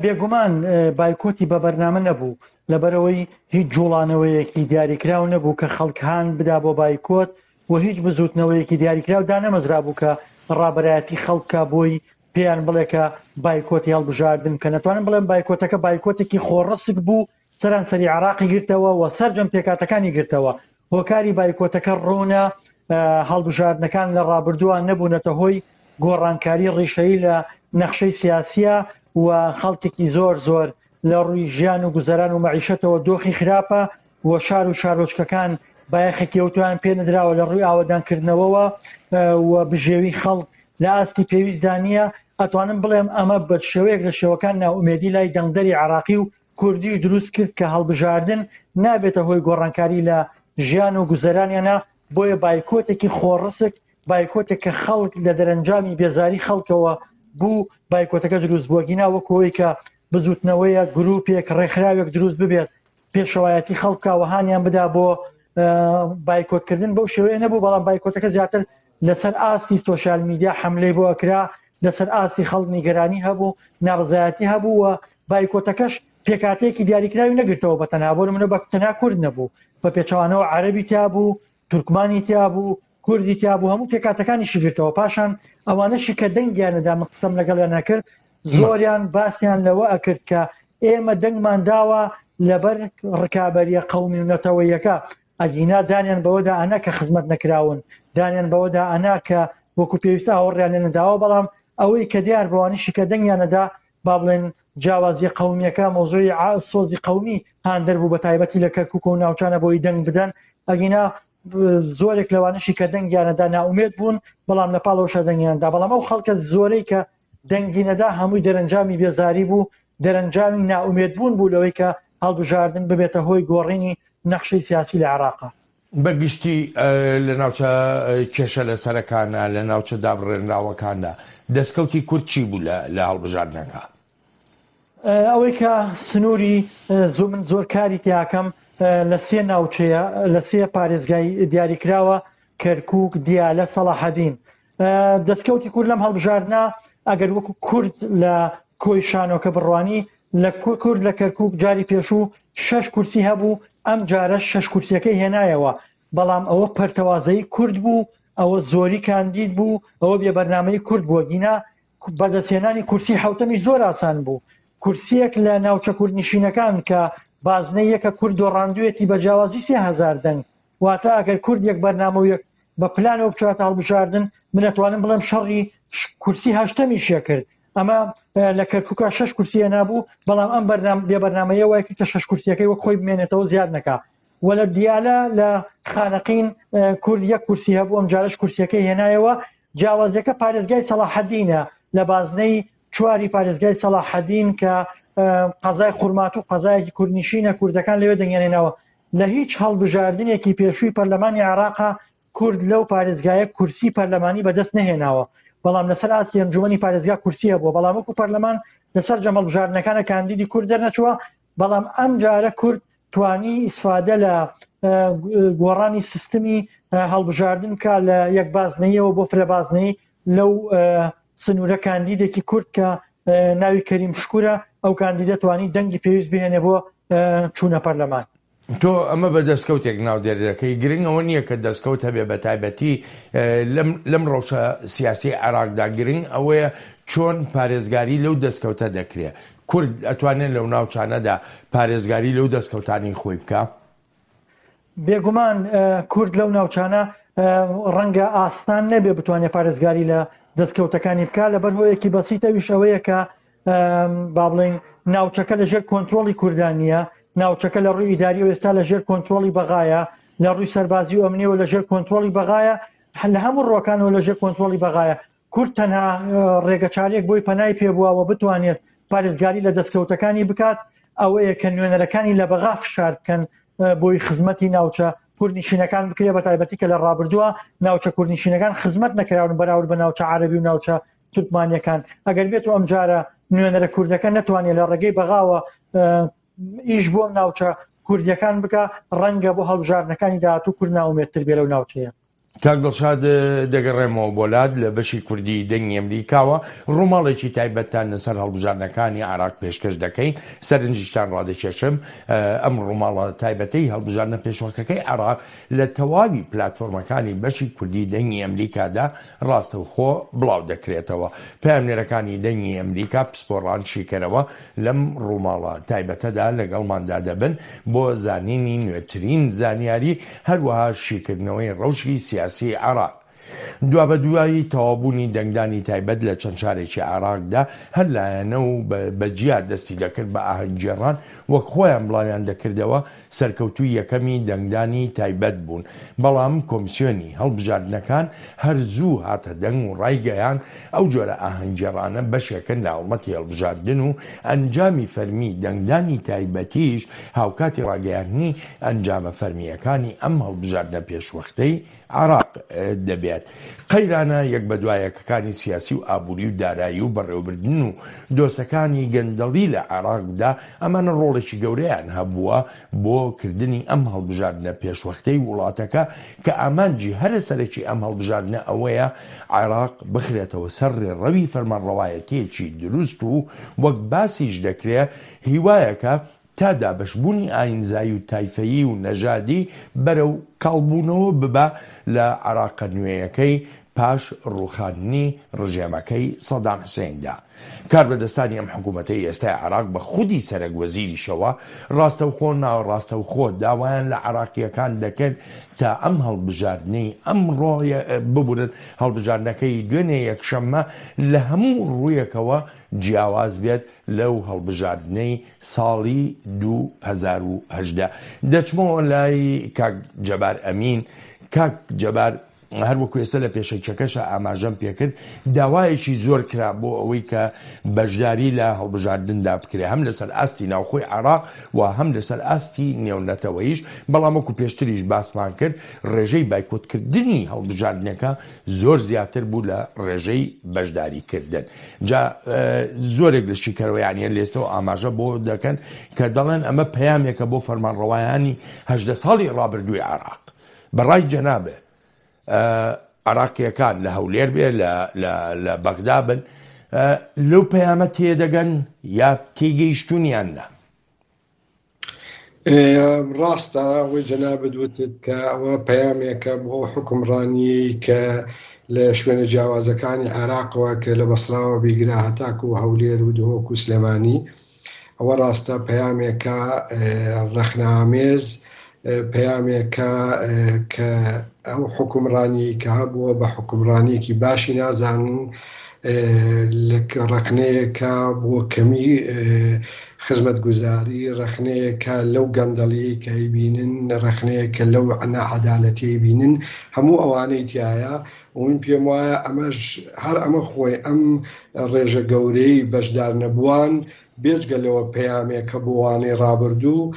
بێگومان بایکۆتی بە بەرنامە نەبوو، لەبەرئەوەی هیچ جوڵانەوەیەکی دیاریکراو نەبوو کە خەڵک هان بدا بۆ بایکۆت و هیچ بزوتنەوەیەکی دیاریکراو دانەمەزرابوو کە ڕابەرایەتی خەڵک بکا بۆی پێیان بڵێ کە بایکۆتی هەڵبژاردن بکەن. ئەتوانم بڵێم بایکۆتەکە بایکۆتێکی خۆڕسک بوو، سەرانسەری عێراقی گرتەوە و سەرجەم پێکهاتەکانی گرتەوە. هۆکاری بایکۆتەکە ڕوونە، هەڵبژاردنەکان لە ڕابردووە نەبوونەتە هۆی گۆڕانکاری ڕیشەیی لە نەخشەی سیاسییە و خەڵکێکی زۆر زۆر لە ڕووی ژیان و گوزەران و مەعیشەتەوە دۆخی خراپە و شار و شارۆچکەکان بایەخێکی ئەوتۆیان پێ نەدراوە لە ڕووی ئاوەدانکردنەوەوە و بژێوی خەڵک لە ئاستی پێویستدا نییە. ئەتوانم بڵێم ئەمە بە شێوەیەک لە شێوەکان نائومێدی لای دەنگدەری عێراقی و کوردیش دروست کرد کە هەڵبژاردن نابێتە هۆی گۆڕانکاری لە ژیان و گوزەرانیانا، بۆیە بایکۆتێکی خۆڕسک، بایکۆتێک کە خەڵک لە دەرەنجامی بێزاری خەڵکەوە بوو بایکۆتەکە دروست بووە، گینا وەکو ئەوەی کە بزوتنەوەیەک، گروپێک، ڕێکخراوێک دروست ببێت پێشەوایەتی خەڵک بکا و هانیان بدا بۆ بایکۆتکردن بەو شێوەیە نەبوو، بەڵام بایکۆتەکە زیاتر لەسەر ئاستی سۆشیال میدیا حەملەی بۆ ئەکرا، لەسەر ئاستی خەڵک نیگەرانی هەبوو، ناڕەزایەتی هەبوو و بایکۆتەکەش پێکهاتەیەکی دیاریکراوی نەگرتەوە بە تەنها، بۆ نمونە بە تەنها کورد نەبوو، بە پێچەوانەوە عەرەبی تیا بوو، تورکمانی تیا بوو، کوردی تیا بوو، هەموو پێکهاتەکانیشی گرتەوە. پاشان ئەوانەشی کە دەنگیان نەدا، من قسەم لەگەڵیان نەکرد، زۆریان باسیان لەوە ئەکرد کە ئێمە دەنگمان داوە لەبەر ڕکابەریە قەومی و نەتەوەیەکە، ئەگینا دانیان بەوەدا ئەنا کە خزمەت نەکراون، دانیان بەوەدا ئەنا کە وەکو پێویست ئاوڕیان لێ نەداوە، بەڵام ئەوەی کە دیار بەوانیشی کە دەنگیان نەدا، با بڵێن جیاوازیە قەومیەکە، مەوزوعی سۆزی قەومی هاندەر بوو بە تایبەتی لە کەرکوک و ناوچانە بۆی دەنگ بدەن، ئەگینا زۆرێک لەوانەشی کە دەنگیان نەدا نائومێد بوون، بەڵام لە پاڵەوەشا دەنگیان دا، بەڵام ئەو خەڵکە زۆرەی کە دەنگی نەدا هەمووی دەرەنجامی بێزاری بوو، دەرەنجامی نائومێدبوون بوو لەوەی کە هەڵبژاردن ببێتە هۆی گۆڕینی نەخشەی سیاسی لە عێراقا. بە گشتی لە ناوچە کێشە لەسەرەکانا، لە ناوچە دابڕێنراوەکاندا دەستکەوتی کورد چی بوو لە هەڵبژاردنەکە؟ ئەوەی کە سنووری زۆ من زۆر کاری تیاکەم لە سێ ناوچەیە لە سێ پارێزگای دیاریکراوە کەرکووک، دیالە، سەڵاحەدین. دەستکەوتی کورد لەم هەڵبژاردنە ئەگەر وەکو کورد لە کۆی شانۆکە بڕوانی لە کورد لە کەرکک جاری پێشوو شەش کورسی هەبوو ئەم جارە شەش کورسیەکەی هێنایەوە بەڵام ئەوە پەرتەوازەی کورد بوو ئەوە زۆری کاندید بوو ئەوە بێ بەرنامەی کورد بووە گینا بەدەستهێنانی کورسی حوتەمی زۆر ئاسان بوو کورسیەک لە ناوچە کوردنشینەکان کە بازنەی یەکە کورد دۆڕاندوێتی بە جیاوازی 3000 دەنگ واتە ئەگەر کورد یەک بەرنامە و یەک بە پلانەوە بچاتە هەڵبژاردن من ئەتوانم بڵێم شەڕی کورسی هەشتەمیشیە کرد ئەمە لە کەرکووکە شەش کورسیە نابوو بەڵام ئەم بەرنام بێ بەرنامەیە وای کرد کە شەش کورسیەکەی وەک خۆی بمێنێتەوە زیاد نەکا و لە دیالە لە خانەقین کورد یەک کورسی هەبوو ئەم جارش کورسیەکەی هێنایەوە جیاوازیەکە پارێزگای سەڵاحەدینە لە بازنەی چواری پارێزگای سەڵاحەدین کە قەزای خورماتوو قەزایەکی کوردنشینە کوردەکان لەوێ دەنگیان هێناوە لە هیچ هەڵبژاردنێکی پێشووی پەرلەمانی عێراقا کورد لەو پارێزگایە کورسی پەرلەمانی بەدەست نەهێناوە بەڵام لەسەر ئاستی ئەنجومەنی پارێزگا کورسی هەبووە بەڵام وەکو پەرلەمان لەسەر جەم هەڵبژاردنەکانە کاندیدی کورد دەرنەچووە بەڵام ئەم جارە کورد توانی ئیسفادە لە گۆڕانی سیستمی هەڵبژاردن بکا لە یەک بازنەیەوە بۆ فرە بازنەی لەو سنوورە کاندیدێکی کورد کە ناوی کەریم شکورە ئەو کاندیدە توانی دەنگی پێویست بهێنێ بۆ چوونە پەرلەمان. تۆ ئەمە بە دەستکەوتێک ناودێر دەکەی، گرنگ ئەوە نییە کە دەستکەوت هەبێ بە تایبەتی لەم لەم ڕەوشە سیاسیەی عێراقدا، گرنگ ئەوەیە چۆن پارێزگاری لەو دەستکەوتە دەکرێ، کورد ئەتوانێ لەو ناوچانەدا پارێزگاری لەو دەستکەوتانەی خۆی بکا؟ بێگومان کورد لەو ناوچانە ڕەنگە ئاسان نەبێ بتوانێت پارێزگاری لە دەستکەوتەکانی بکا لەبەر هۆیەکی بەسیت ئەویش ئەوەیە کە با بڵێین ناوچەکە لە ژێر کۆنترۆڵی کوردان نییە، ناوچەکە لە ڕووی ئیداریەوە ئێستا لە ژێر کۆنترۆڵی بەغایە، لە ڕووی سەربازی و ئەمنیەوە لە ژێر کۆنترۆڵی بەغایە، لە هەموو ڕووەکانەوە لە ژێر کۆنترۆڵی بەغایە. کورد تەنها ڕێگەچارەیەک بۆی پەنای پێبووە و بتوانێت پارێزگاری لە دەستکەوتەکانی بکات ئەوەیە کە نوێنەرەکانی لە بەغا فشار بکەن بۆی خزمەتی ناوچە کوردنشینەکان بکرێت بە تایبەتی کە لە ڕابردووە ناوچە کوردنشینەکان خزمەت نەکراون بەراورد بە ناوچە عەرەبی و ناوچە تورکمانیەکان ئەگەر بێت و ئەمجارە نوێنەرە کوردەکە نەتوانێت لە ڕێگەی بەغاوە ئیش بۆ ناوچە کوردیەکان بکە ڕەنگە بۆ هەڵبژاردنەکانی داهاتوو کورد ناومێتتر بێ لەو ناوچەیە. کاک دڵشاد دەگەڕێمەوە بۆ لات لە بەشی کوردی دەنگی ئەمریکاوە ڕووماڵێکی تایبەتتان لەسەر هەڵبژاردنەکانی عێراق پێشکەش دەکەین سەرنجیشتان ڕادەکێشم ئەم ڕووماڵە تایبەتەی هەڵبژاردنە پێشوەختەکەی عێراق لە تەواوی پلاتفۆرمەکانی بەشی کوردی دەنگی ئەمریکادا ڕاستەوخۆ بڵاو دەکرێتەوە. پەیامنێرەکانی دەنگی ئەمریکا پسپۆڕان شیکەرەوە لەم ڕووماڵە تایبەتەدا لەگەڵماندا دەبن بۆ زانینی نوێترین زانیاری، هەروەها شیکردنەوەی ڕەوشی سیاسی عێراق. دوابەدوای تەواوبوونی دەنگدانی تایبەت لە چەند شارێکی عێراقدا، هەر لایەنە و بە جیا دەستی دەکرد بە ئاهەنگگێڕان، وەک خۆیان بڵاویان دەکردەوە، سەرکەوتووی یەکەمی دەنگدانی تایبەت بوون، بەڵام کۆمسیۆنی هەڵبژاردنەکان هەر زوو هاتە دەنگ و ڕایگەیاند، ئەو جۆرە ئاهەنگگێڕانە بەشێکن لە هەڵمەتی هەڵبژاردن و ئەنجامی فەرمی دەنگدانی تایبەتیش هاوکاتی ڕاگەیاندنی ئەنجامە فەرمییەکانی ئەم هەڵبژاردنە پێشوەختەی عێراق دەبێت. قەیرانە یەک بەدوایەکەکانی سیاسی و ئابووری و دارایی و بەڕێوەبردن و دۆسەکانی گەندەڵی لە عێراقدا، ئەمانە ڕۆڵێکی گەورەیان هەبووە بۆ کردنی ئەم هەڵبژاردنە پێشوەختەی وڵاتەکە کە ئامانجی هەرە سەرەکی ئەم هەڵبژاردنە ئەوەیە عێراق بخرێتەوە سەر ڕێڕەوی فەرمانڕەوایەتییەکی دروست و وەک باسیش دەکرێ هیوایەکە تا دابەشبوونی ئاینزایی و تایفەیی و نەژادی بەرەو کاڵبوونەوە ببا لە عێراقە نوێیەکەی پاش ڕووخاندنی ڕژێمەکەی سەدام حسێندا. کاربەدەستانی ئەم حکوومەتەی ئێستای عێراق بە خودی سەرەک وەزیریشەوە ڕاستەوخۆ ناڕاستەوخۆ داوایان لە عێراقییەکان دەکرد تا ئەم هەڵبژاردنەی ئەمڕۆ ببورن هەڵبژاردنەکەی دوێنێ یەکشەممە لە هەموو ڕوویەکەوە جیاواز بێت لەو هەڵبژاردنەی ساڵی 2018. دەچمەوە لای کاک جەبار ئەمین، کاک جەبار هەر وەکو ئێستا لە پێشەکیەکەشا ئاماژەم پێکرد داوایەکی زۆر کرا بۆ ئەوەی کە بەشداری لە هەڵبژاردندا بکرێ هەم لەسەر ئاستی ناوخۆی عێراق و هەم لەسەر ئاستی نێونەتەوەیش، بەڵام وەکو پێشتریش باسمان کرد ڕێژەی بایکۆتکردنی هەڵبژاردنەکە زۆر زیاتر بوو لە ڕێژەی بەشداری کردن. جا زۆرێک لە شیکەرەوەیانە لێستەوە ئاماژە بۆ دەکەن کە دەڵێن ئەمە پەیامێکە بۆ فەرمانڕەوایانی هەژدە ساڵی ڕابردووی عێراق. بە ڕای جەنابێ عێراقییەکان لە هەولێر بێ لە بەغدا بن لەو پەیامە تێدەگەن یا تێگەیشتوون یان نا؟ ڕاستە ئەوەی جەنابت وتت کە ئەوە پەیامێکە بۆ ئەو حوکمڕانییەی کە لە شوێنە جیاوازەکانی عێراقەوە کە لە بەسراوە بیگرە هەتاکو هەولێر و دهۆک و سلێمانی ئەوە ڕاستە پەیامێکە ڕەخنەئامێز پەیامێکە کە ئەو حوکمڕانیەی کە هەبووە بە حوکمڕانیەکی باشی نازانن ڕەخنەیەکە بۆ کەمی خزمەتگوزاری، ڕەخنەیەکە لەو گەندەڵیەی کە ئەیبینن، ڕەخنەیەکە لەو ناعەدالەتیەی ئەیبینن، هەموو ئەوانەی تیایە و من پێم وایە ئەمەش هەر ئەمە خۆی ئەم ڕێژە گەورەی بەشدارنەبووان بێجگە لەوە پەیامێکە بۆ وانەی ڕابردوو،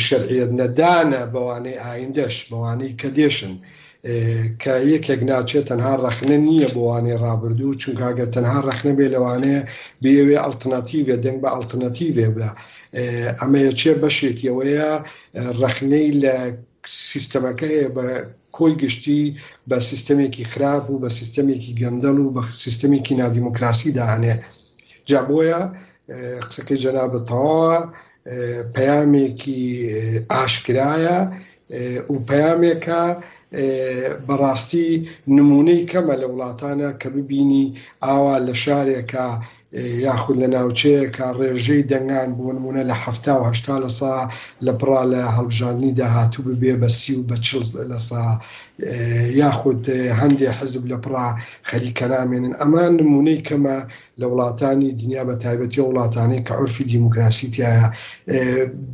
شەرعیەت نەدانە بەوانەی ئایندەش، بەوانەی کە دێشن. کە یەکێک ناچێت تەنها ڕەخنە نییە بۆ وانەی ڕابردوو، چونکە ئەگەر تەنها ڕەخنە بێ لەوانەیە بیەوێ ئەڵتەناتیڤێ دەنگ بە ئەڵتەناتیڤێ بدا. ئەمەیە چێ بەشێکی ئەوەیە ڕەخنەی لە سیستەمەکە هەیە بە کۆی گشتی بە سیستەمێکی خراپ و بە سیستەمێکی گەندەڵ و بە سیستەمێکی نادیموکراسی دائەنێ. جا بۆیە قسەکەی جەنابت تەواوە پەیامێکی ئاشکرایە و پەیامێکە بەڕاستی نمونەی کەمە لە وڵاتانە کە ببینی ئاوا لە شارێکە. یاخود لە ناوچەیەکا ڕێژەی دەنگان بۆ نموونە لە 70 و 80 لە سا لە پڕا لە هەڵبژاردنی داهاتوو ببێ بە 30 و بە 40 لە سا یاخود هەندێ حزب لە پڕا خەریکە نامێنن ئەمە نموونەی کەمە لە وڵاتانی دنیا بە تایبەتی ئەو وڵاتانەی کە عورفی دیموکراسی تیایە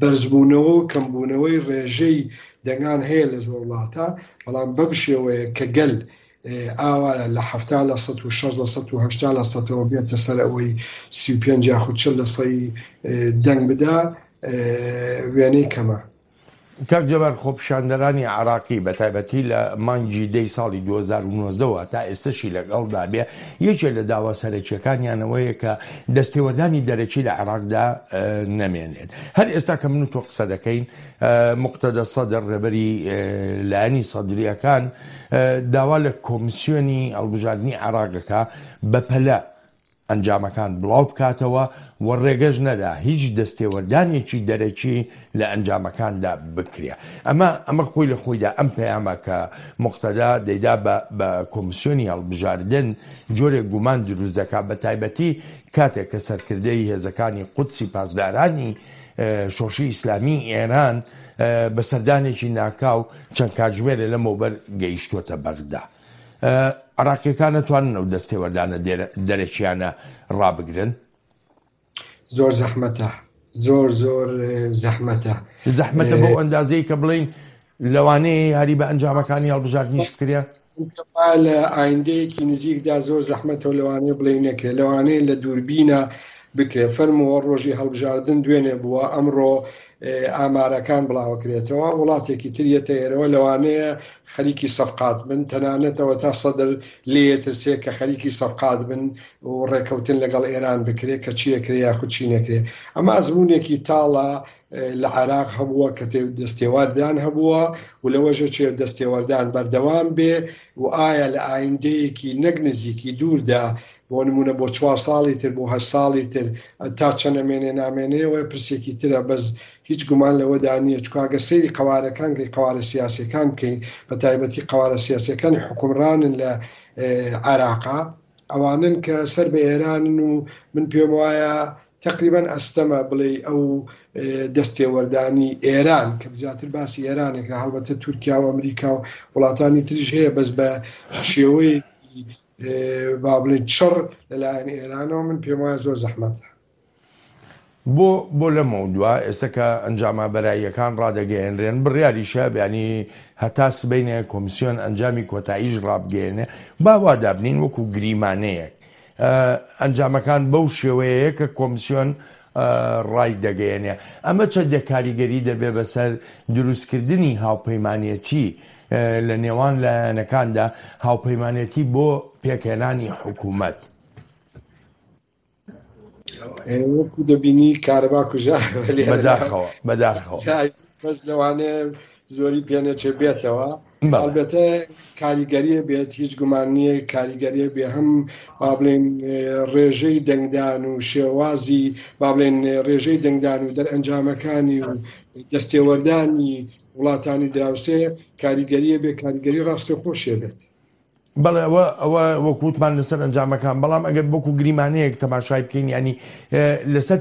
بەرزبوونەوە و کەمبوونەوەی ڕێژەی دەنگان هەیە لە زۆر وڵاتە بەڵام بەم شێوەیە کە گەل ئاوا لە 70 لە 160 لە 180 لە سەتەوە بێتە سەر ئەوەی 35 یاخود 40 لە سەی دەنگ بدا وێنەی کەمە. کاک جەبار خۆپیشاندەرانی عێراقی بە تایبەتی لە مانگی دەی ساڵی 2019 وە تا ئێستەشی لەگەڵدا بێ یەکێ لە داوا سەرەکیەکانیان ئەوەیە کە دەستێوەردانی دەرەکی لە عێراقدا نەمێنێت هەر ئێستا کە من و تۆ قسە دەکەین موقتەدا سەدر ڕێبەری لایەنی سەدریەکان داوا لە کۆمیسیۆنی هەڵبژاردنی عێراق دەکا بەپەلە ئەنجامەکان بڵاو بکاتەوە و ڕێگەش نەدا هیچ دەستێوەردانێکی دەرەکی لە ئەنجامەکاندا بکرێ. ئەمە ئەمە خۆی لە خۆیدا ئەم پەیامە کە موقتەدا دەیدا بە بە کۆمیسیۆنی هەڵبژاردن جۆرێک گومان دروست دەکا بە تایبەتی کاتێک کە سەرکردەی هێزەکانی قودسی پاسدارانی شۆڕشی ئیسلامیی ئێران بە سەردانێکی ناکاو چەند کاتژمێرێ لەمەوبەر گەیشتووەتە بەغدا. عراقیەکان نەتوانن ئەو دەستێوەردانە دەرەکیانە ڕابگرن؟ زۆر زەحمەتە زۆر زۆر زەحمەتە زەحمەتە بەو ئەندازەی کە بڵین لەوانەیە یاری بە ئەنجامەکانی هەڵبژاردنیش بکرێ لە ئایندەیەکی نزیکدا زۆر زەحمەتە و لەوانەیە بڵێ نەکرێت لەوانەیە لە دووربینە بکرێت فەرمووە ڕۆژی هەڵبژاردن دوێنێ بووە ئەمڕۆ ئامارەکان بڵاوەکرێتەوە وڵاتێکی تر یەتە ئێرەوە لەوانەیە خەریکی سەفقات بن تەنانەت ئەوەتا سەدر لێیەترسێ کە خەریکی سەفقات بن و ڕێکەوتن لەگەڵ ئێران بکرێ کە چی ئەکرێ یاخود چی نەکرێ ئەمە ئەزموونێکی تاڵە لە عێراق هەبووە کە دەستێوەردان هەبووە و لەوەشە چێ دەستێوەردان بەردەوام بێ و ئایا لە ئایندەیەکی نەک نزیکی دووردا بۆ نمونە بۆ چوار ساڵی تر بۆ هەشت ساڵی تر تا چەند ئەمێنێ نامێنێ ئەوە پرسێکی ترە بەس هیچ گومان لەوەدا نییە چونکە ئەگەر سەیری قەوارەکان کەی قەوارە سیاسیەکان بکەین بە تایبەتی قەوارە سیاسیەکانی حوکمڕانن لە عێراقا ئەوانن کە سەر بە ئێرانن و من پێم وایە تەقریبەن ئەستەمە بڵێی ئەو دەستێوەردانی ئێران کە زیاتر باسی ئێرانێکە هەڵبەتە تورکیا و ئەمریکا و وڵاتانی تریش هەیە بەس بە شێوەیەکی با بڵێین چڕ لەلایەن ئێرانەوە من پێم وایە زۆر زەحمەتە. بۆ بۆ لەمەودوا ئێستا کە ئەنجامە بەراییەکان ڕادەگەیەنرێن بڕیاریشە بیانی هەتا سبەینێ کۆمیسیۆن ئەنجامی کۆتاییش ڕابگەیەنێ با وا دابنین وەکو گریمانەیەک ئەنجامەکان بەو شێوەیەیە کە کۆمسیۆن ڕای دەگەیەنێ ئەمە چەندێک کاریگەری دەبێ بەسەر دروستکردنی هاوپەیمانێتی لە نێوان لایەنەکاندا هاوپەیمانێتی بۆ پێکهێنانی حکوومەت؟ وەکو دەبینی کارەبا کوژا بەداخەوە بەداخەوە بەس لەوانەیە زۆری پێنەچێ بێتەوە ئەلبەتە کاریگەریە بێت هیچ گومان نییە کاریگەریە بێ هەم با بڵێن ڕێژەی دەنگدان و شێوازی با بڵێن ڕێژەی دەنگدان و دەرئەنجامەکانی و دەستێوەردانی وڵاتانی دراوسێ کاریگەریە بێ کاریگەری ڕاستە خۆشیە بێت. بەڵێ ئەوە ئەوە وەک وتمان لەسەر ئەنجامەکان بەڵام ئەگەر وەکو گریمانەیەک تەماشای بکەین ینی لەسەر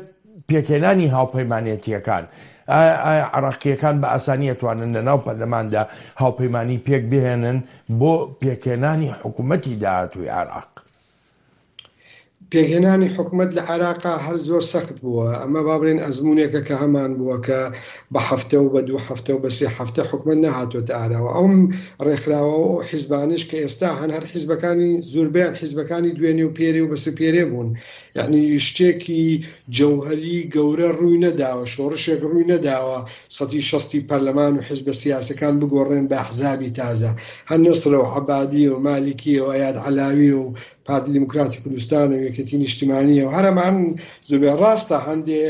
پێکهێنانی هاوپەیمانێتیەکان ئایا عراقیەکان بە ئاسانی ئەتوانن لە ناو پەرلەماندا هاوپەیمانی پێک بهێنن بۆ پێکهێنانی حکوومەتی داهاتووی عێراق؟ پێکهێنانی حکومەت لە عێراقا هەر زۆر سەخت بووە، ئەمە با بڵێین ئەزموونێکە کە هەمان بووە کە بە هەفتە و بە دوو هەفتە و بە سێ هەفتە حکومەت نەهاتۆتە ئاراوە. ئەو ڕێکخراوە و ئەو حیزبانەش کە ئێستا هەن هەر حیزبەکانی زوربەیان حیزبەکانی دوێنێ و پێرێ و بەسە پێرێ بوون. یەعنی شتێکی جەوهەری گەورە ڕووی نەداوە، شۆڕشێک ڕووی نەداوە سەتی شەستی پەرلەمان و حیزبە سیاسەکان بگۆڕێن بە ئەحزابی تازە. هەر نەسرە و عەبادیە و مالیکیە و ئەیاد عەلاویە و پارتی دیموکراتی کوردستان و یەکێتی نیشتیمانیە و هەر ئەمان زوبێ ڕاستە هەندێ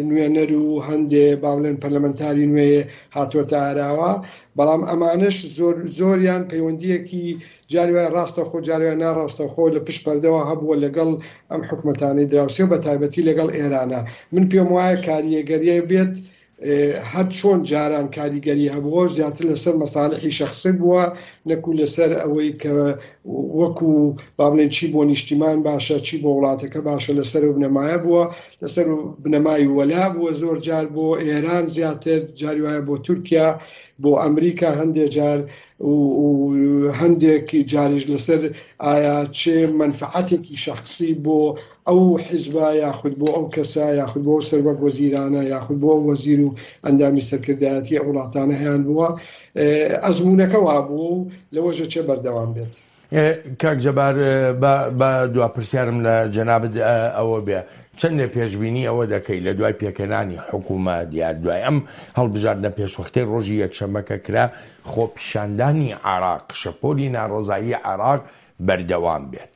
نوێنەر و هەندێ با بڵێن پەرلەمەنتاری نوێ هاتووەتە ئاراوە بەڵام ئەمانەش زۆر زۆریان پەیوەندیەکی جاری وایە ڕاستەخۆ جاری وایە ناڕاستەخۆ لە پشت پەردەوە هەبووە لەگەڵ ئەم حکومەتانەی دراوسێ و بە تایبەتی لەگەڵ ئێرانە من پێم وایە کاریگەریە بێت. هەر چۆن جاران کاریگەری هەبووە زیاتر لەسەر مەسالحی شەخسی بووە نەکو لەسەر ئەوەی کە وەکو با بڵێن چی بۆ نیشتیمان باشە چی بۆ وڵاتەکە باشە لەسەر و بنەمایە بووە لەسەر بنەمای وەلا بووە زۆر جار بۆ ئێران زیاتر جاری وایە بۆ تورکیا بۆ ئەمریکا هەندێک جار و هەندێک جاریش لەسەر ئایا چێ مەنفعەتێکی شەخسی بۆ ئەو حیزبە یاخود بۆ ئەو کەسە یاخود بۆ ئەو سەروەک وەزیرانە یاخود بۆ ئەو وەزیر و ئەندامی سەرکردایەتی ئەو وڵاتانە هەیان بووە ئەزموونەکە وابوو و لەوەش ئەچێ بەردەوام بێت. کاک جەبار با دوا پرسیارم لە جەنابت ئەوە بێ چەندێ پێشبینی ئەوە دەکەی لە دوای پێکهێنانی حکوومەت یا دوای ئەم هەڵبژاردنە پێشوەختەی ڕۆژی یەکشەممە کە کرا خۆپیشاندانی عێراق شەپۆلی ناڕەزایی عێراق بەردەوام بێت؟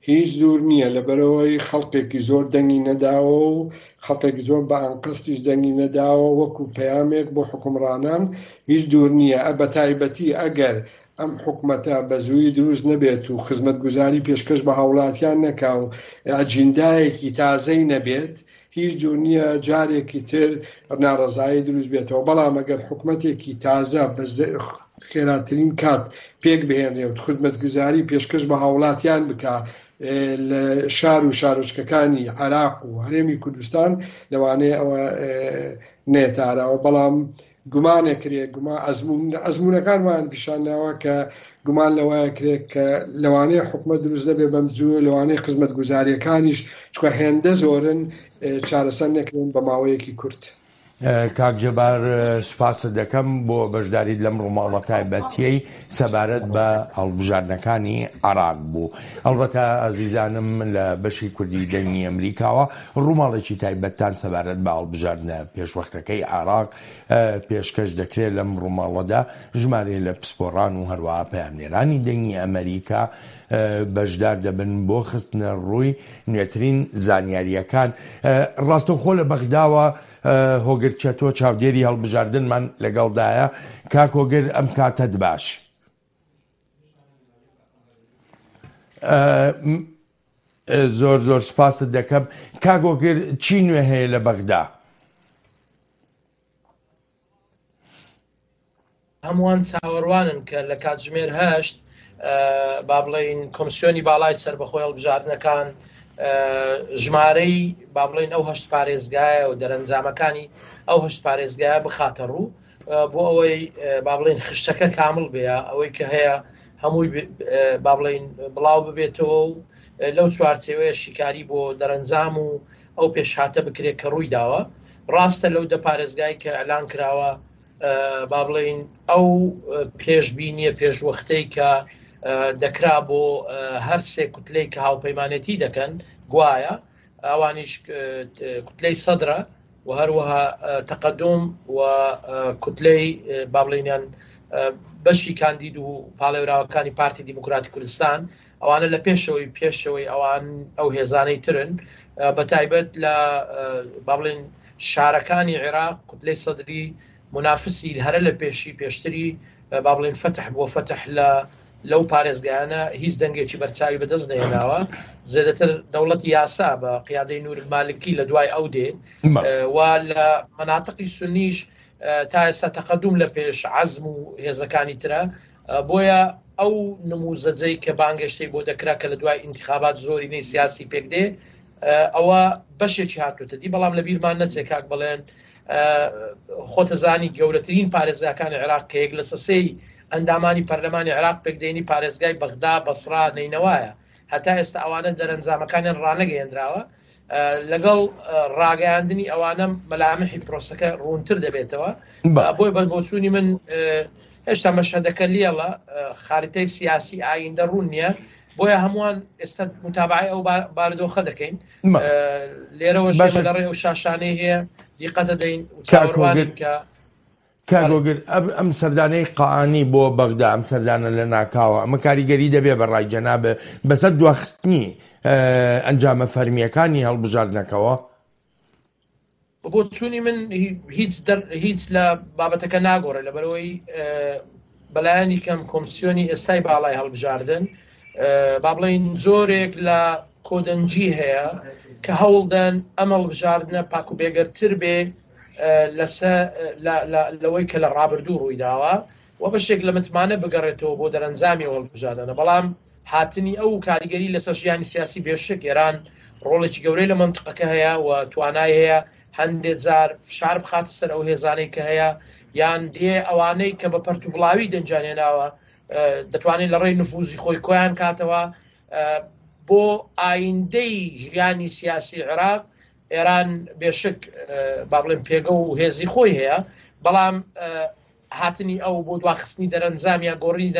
هیچ دوور نییە، لەبەرئەوەی خەڵکێکی زۆر دەنگی نەداوە و خەڵکێکی زۆر بە ئەنقەستیش دەنگی نەداوە وەکو پەیامێک بۆ حوکمڕانان، هیچ دوور نییە، بەتایبەتی ئەگەر ئەم حکومەتە بە زوویی دروست نەبێت و خزمەتگوزاری پێشکەش بە هاوڵاتیان نەکا و ئەجیندایەکی تازەی نەبێت، هیچ دوور نییە جارێکی تر ناڕەزایی دروست بێتەوە، بەڵام ئەگەر حکومەتێکی تازە بە خێراترین کات پێک بهێنرێ و خزمەتگوزاری پێشکەش بە هاوڵاتیان بکا لە شار و شارۆچکەکانی عێراق و هەرێمی کوردستان لەوانەیە ئەوە نێتە ئاراوە، بەڵام گومانەکرێ گوما ئەزموون ئەزموونەکان وایان پیشان داوە کە گومان لەوەیە کرێ کە لەوانەیە حکومەت دروست نەبێ بەم زوو لەوانەیە خزمەتگوزاریەکانیش چکە هێندە زۆرن چارەسەر نەکرێن بە ماوەیەکی کورت. کاک جەبار سوپاست دەکەم بۆ بەشداریت لەم ڕووماڵە تایبەتیەی سەبارەت بە هەڵبژاردنەکانی عێراق بوو. ئەڵبەتە ئازیزانم لە بەشی کوردی دەنگی ئەمریکاوە ڕووماڵێکی تایبەتتان سەبارەت بە هەڵبژاردنە پێشوەختەکەی عێراق پێشکەش دەکرێت لەم ڕووماڵەدا ژمارەیە لە پسپۆڕان و هەروەها پەیامنێرانی دەنگی ئەمریکا بەشدار دەبن بۆ خستنە ڕووی نوێترین زانیارییەکان ڕاستەوخۆ لە بەغداوە هۆگر چەتۆ چاودێری هەڵبژاردنمان لەگەڵدایە کاک هۆگر ئەم کاتەت باش. زۆر زۆر سپاست دەکەم کاک هۆگر چی نوێ هەیە لە بەغدا؟ هەمووان چاوەڕوانن کە لە کاتژمێر هەشت با بڵین کۆمسیۆنی باڵای سەربەخۆی هەڵبژاردنەکان ژمارەی با بڵین ئەو هەشت پارێزگایە و دەرەنجامەکانی ئەو هەشت پارێزگایە بخاتە ڕوو بۆ ئەوەی با بڵین خشتەکە کامل بێ ئەوەی کە هەیە هەمووی با بڵین بڵاو ببێتەوە و لەو چوارچێوەیە شیکاری بۆ دەرەنجام و ئەو پێشهاتە بکرێت کە ڕووی داوە ڕاستە لەو دە پارێزگای کە ئەلان کراوە با بڵێین ئەو پێشبینیە پێشوەختەی کە دەکرا بۆ هەر سێ کوتلەی کە هاوپەیمانێتی دەکەن گوایە ئەوانیش کوتلەی سەدرە و هەروەها تەقدم و کوتلەی با بڵێنیان بەشی کاندید و پاڵێوراوەکانی پارتی دیموکراتی کوردستان ئەوانە لە پێشەوەی پێشەوەی ئەوان ئەو هێزانەی ترن بە تایبەت لە با بڵێن شارەکانی عێراق کوتلەی سەدری منافسی هەرە لە پێشی پێشتری با بڵێن فەتح بۆ فەتح لە لەو پارێزگایانە هیچ دەنگێکی بەرچاوی بەدەست نێناوە زێدەتر دەوڵەتی یاسا بە قیادەی نور مالکی لە دوای ئەو دێ و لە مناتقی سنیش تا ئێستا تەقدم لە پێش عەزم و هێزەکانی ترە بۆیە ئەو نموزەجەی کە بانگێشتەی بۆ دەکرا کە لە دوای ئینتخابات زۆرینەی سیاسی پێک دێ ئەوە بەشێکی هاتوتە دی بەڵام لە بیرمان نەچێ کاک بڵێن خۆتەزانی گەورەترین پارێزگاکانی عێراق کە یەک لە سەسەی ئەندامانی پەرلەمانی عێراق پێکدێنی پارێزگای بەغدا بەسرا نەینەوایە هەتا ئێستا ئەوانە دەرەنجامەکانیان ڕانەگەیەندراوە لەگەڵ ڕاگەیاندنی ئەوانە مەلامحی پرۆسەکە ڕوونتر دەبێتەوە بۆی بە بۆچوونی من هێشتا مەشهدەکە لێڵە خاریتەی سیاسی ئایندە ڕوون نییە بۆیە هەمووان ئێستا متابعی ئەو بارودۆخە دەکەین لێرەوە لە ڕێ ئەو شاشانەی هەیە دیقەتە دەین چاوەڕوانین کە کاک هۆگر ئەم سەردانەی قائانی بۆ بەغدا ئەم سەردانە لە ناکاوە ئەمە کاریگەری دەبێ بە ڕای جەنابت بەسەر دواخستنی ئەنجامە فەرمییەکانی هەڵبژاردنەکەوە؟ بە بۆچوونی من هیچ هیچ لە بابەتەکە ناگۆڕێ لەبەرئەوەی بەلایەنی کەم کۆمسیۆنی ئێستای باڵای هەڵبژاردن با بڵێین زۆرێک لە کۆدەنگی هەیە کە هەوڵدەن ئەم هەڵبژاردنە پاک و بێگەرتر بێ. لەسە لەوەی کە لە ڕابردوو ڕوویداوە و بەشێک لە متمانە بگەڕێتەوە بۆ دەرەنجامی ئەو هەڵبژاردنە، بەڵام هاتنی ئەو و کاریگەری لەسەر ژیانی سیاسی بێشک ئێران ڕۆڵێکی گەورەی لە مەنتقەکە هەیە و توانای هەیە هەندێ جار فشار بخاتە سەر ئەو هێزانەی کە هەیە یان دێ ئەوانەی کە بە پەرت و بڵاوی دەنگیان هێناوە دەتوانێت لە ڕێی نفوزی خۆی کۆیان کاتەوە بۆ ئایندەی ژیانی سیاسی عێراق ئێران بێشک با بڵێن پێگە و هێزی خۆی هەیە بەڵام هاتنی ئەو بۆ دواخستنی دەرەنجام یا گۆڕینی.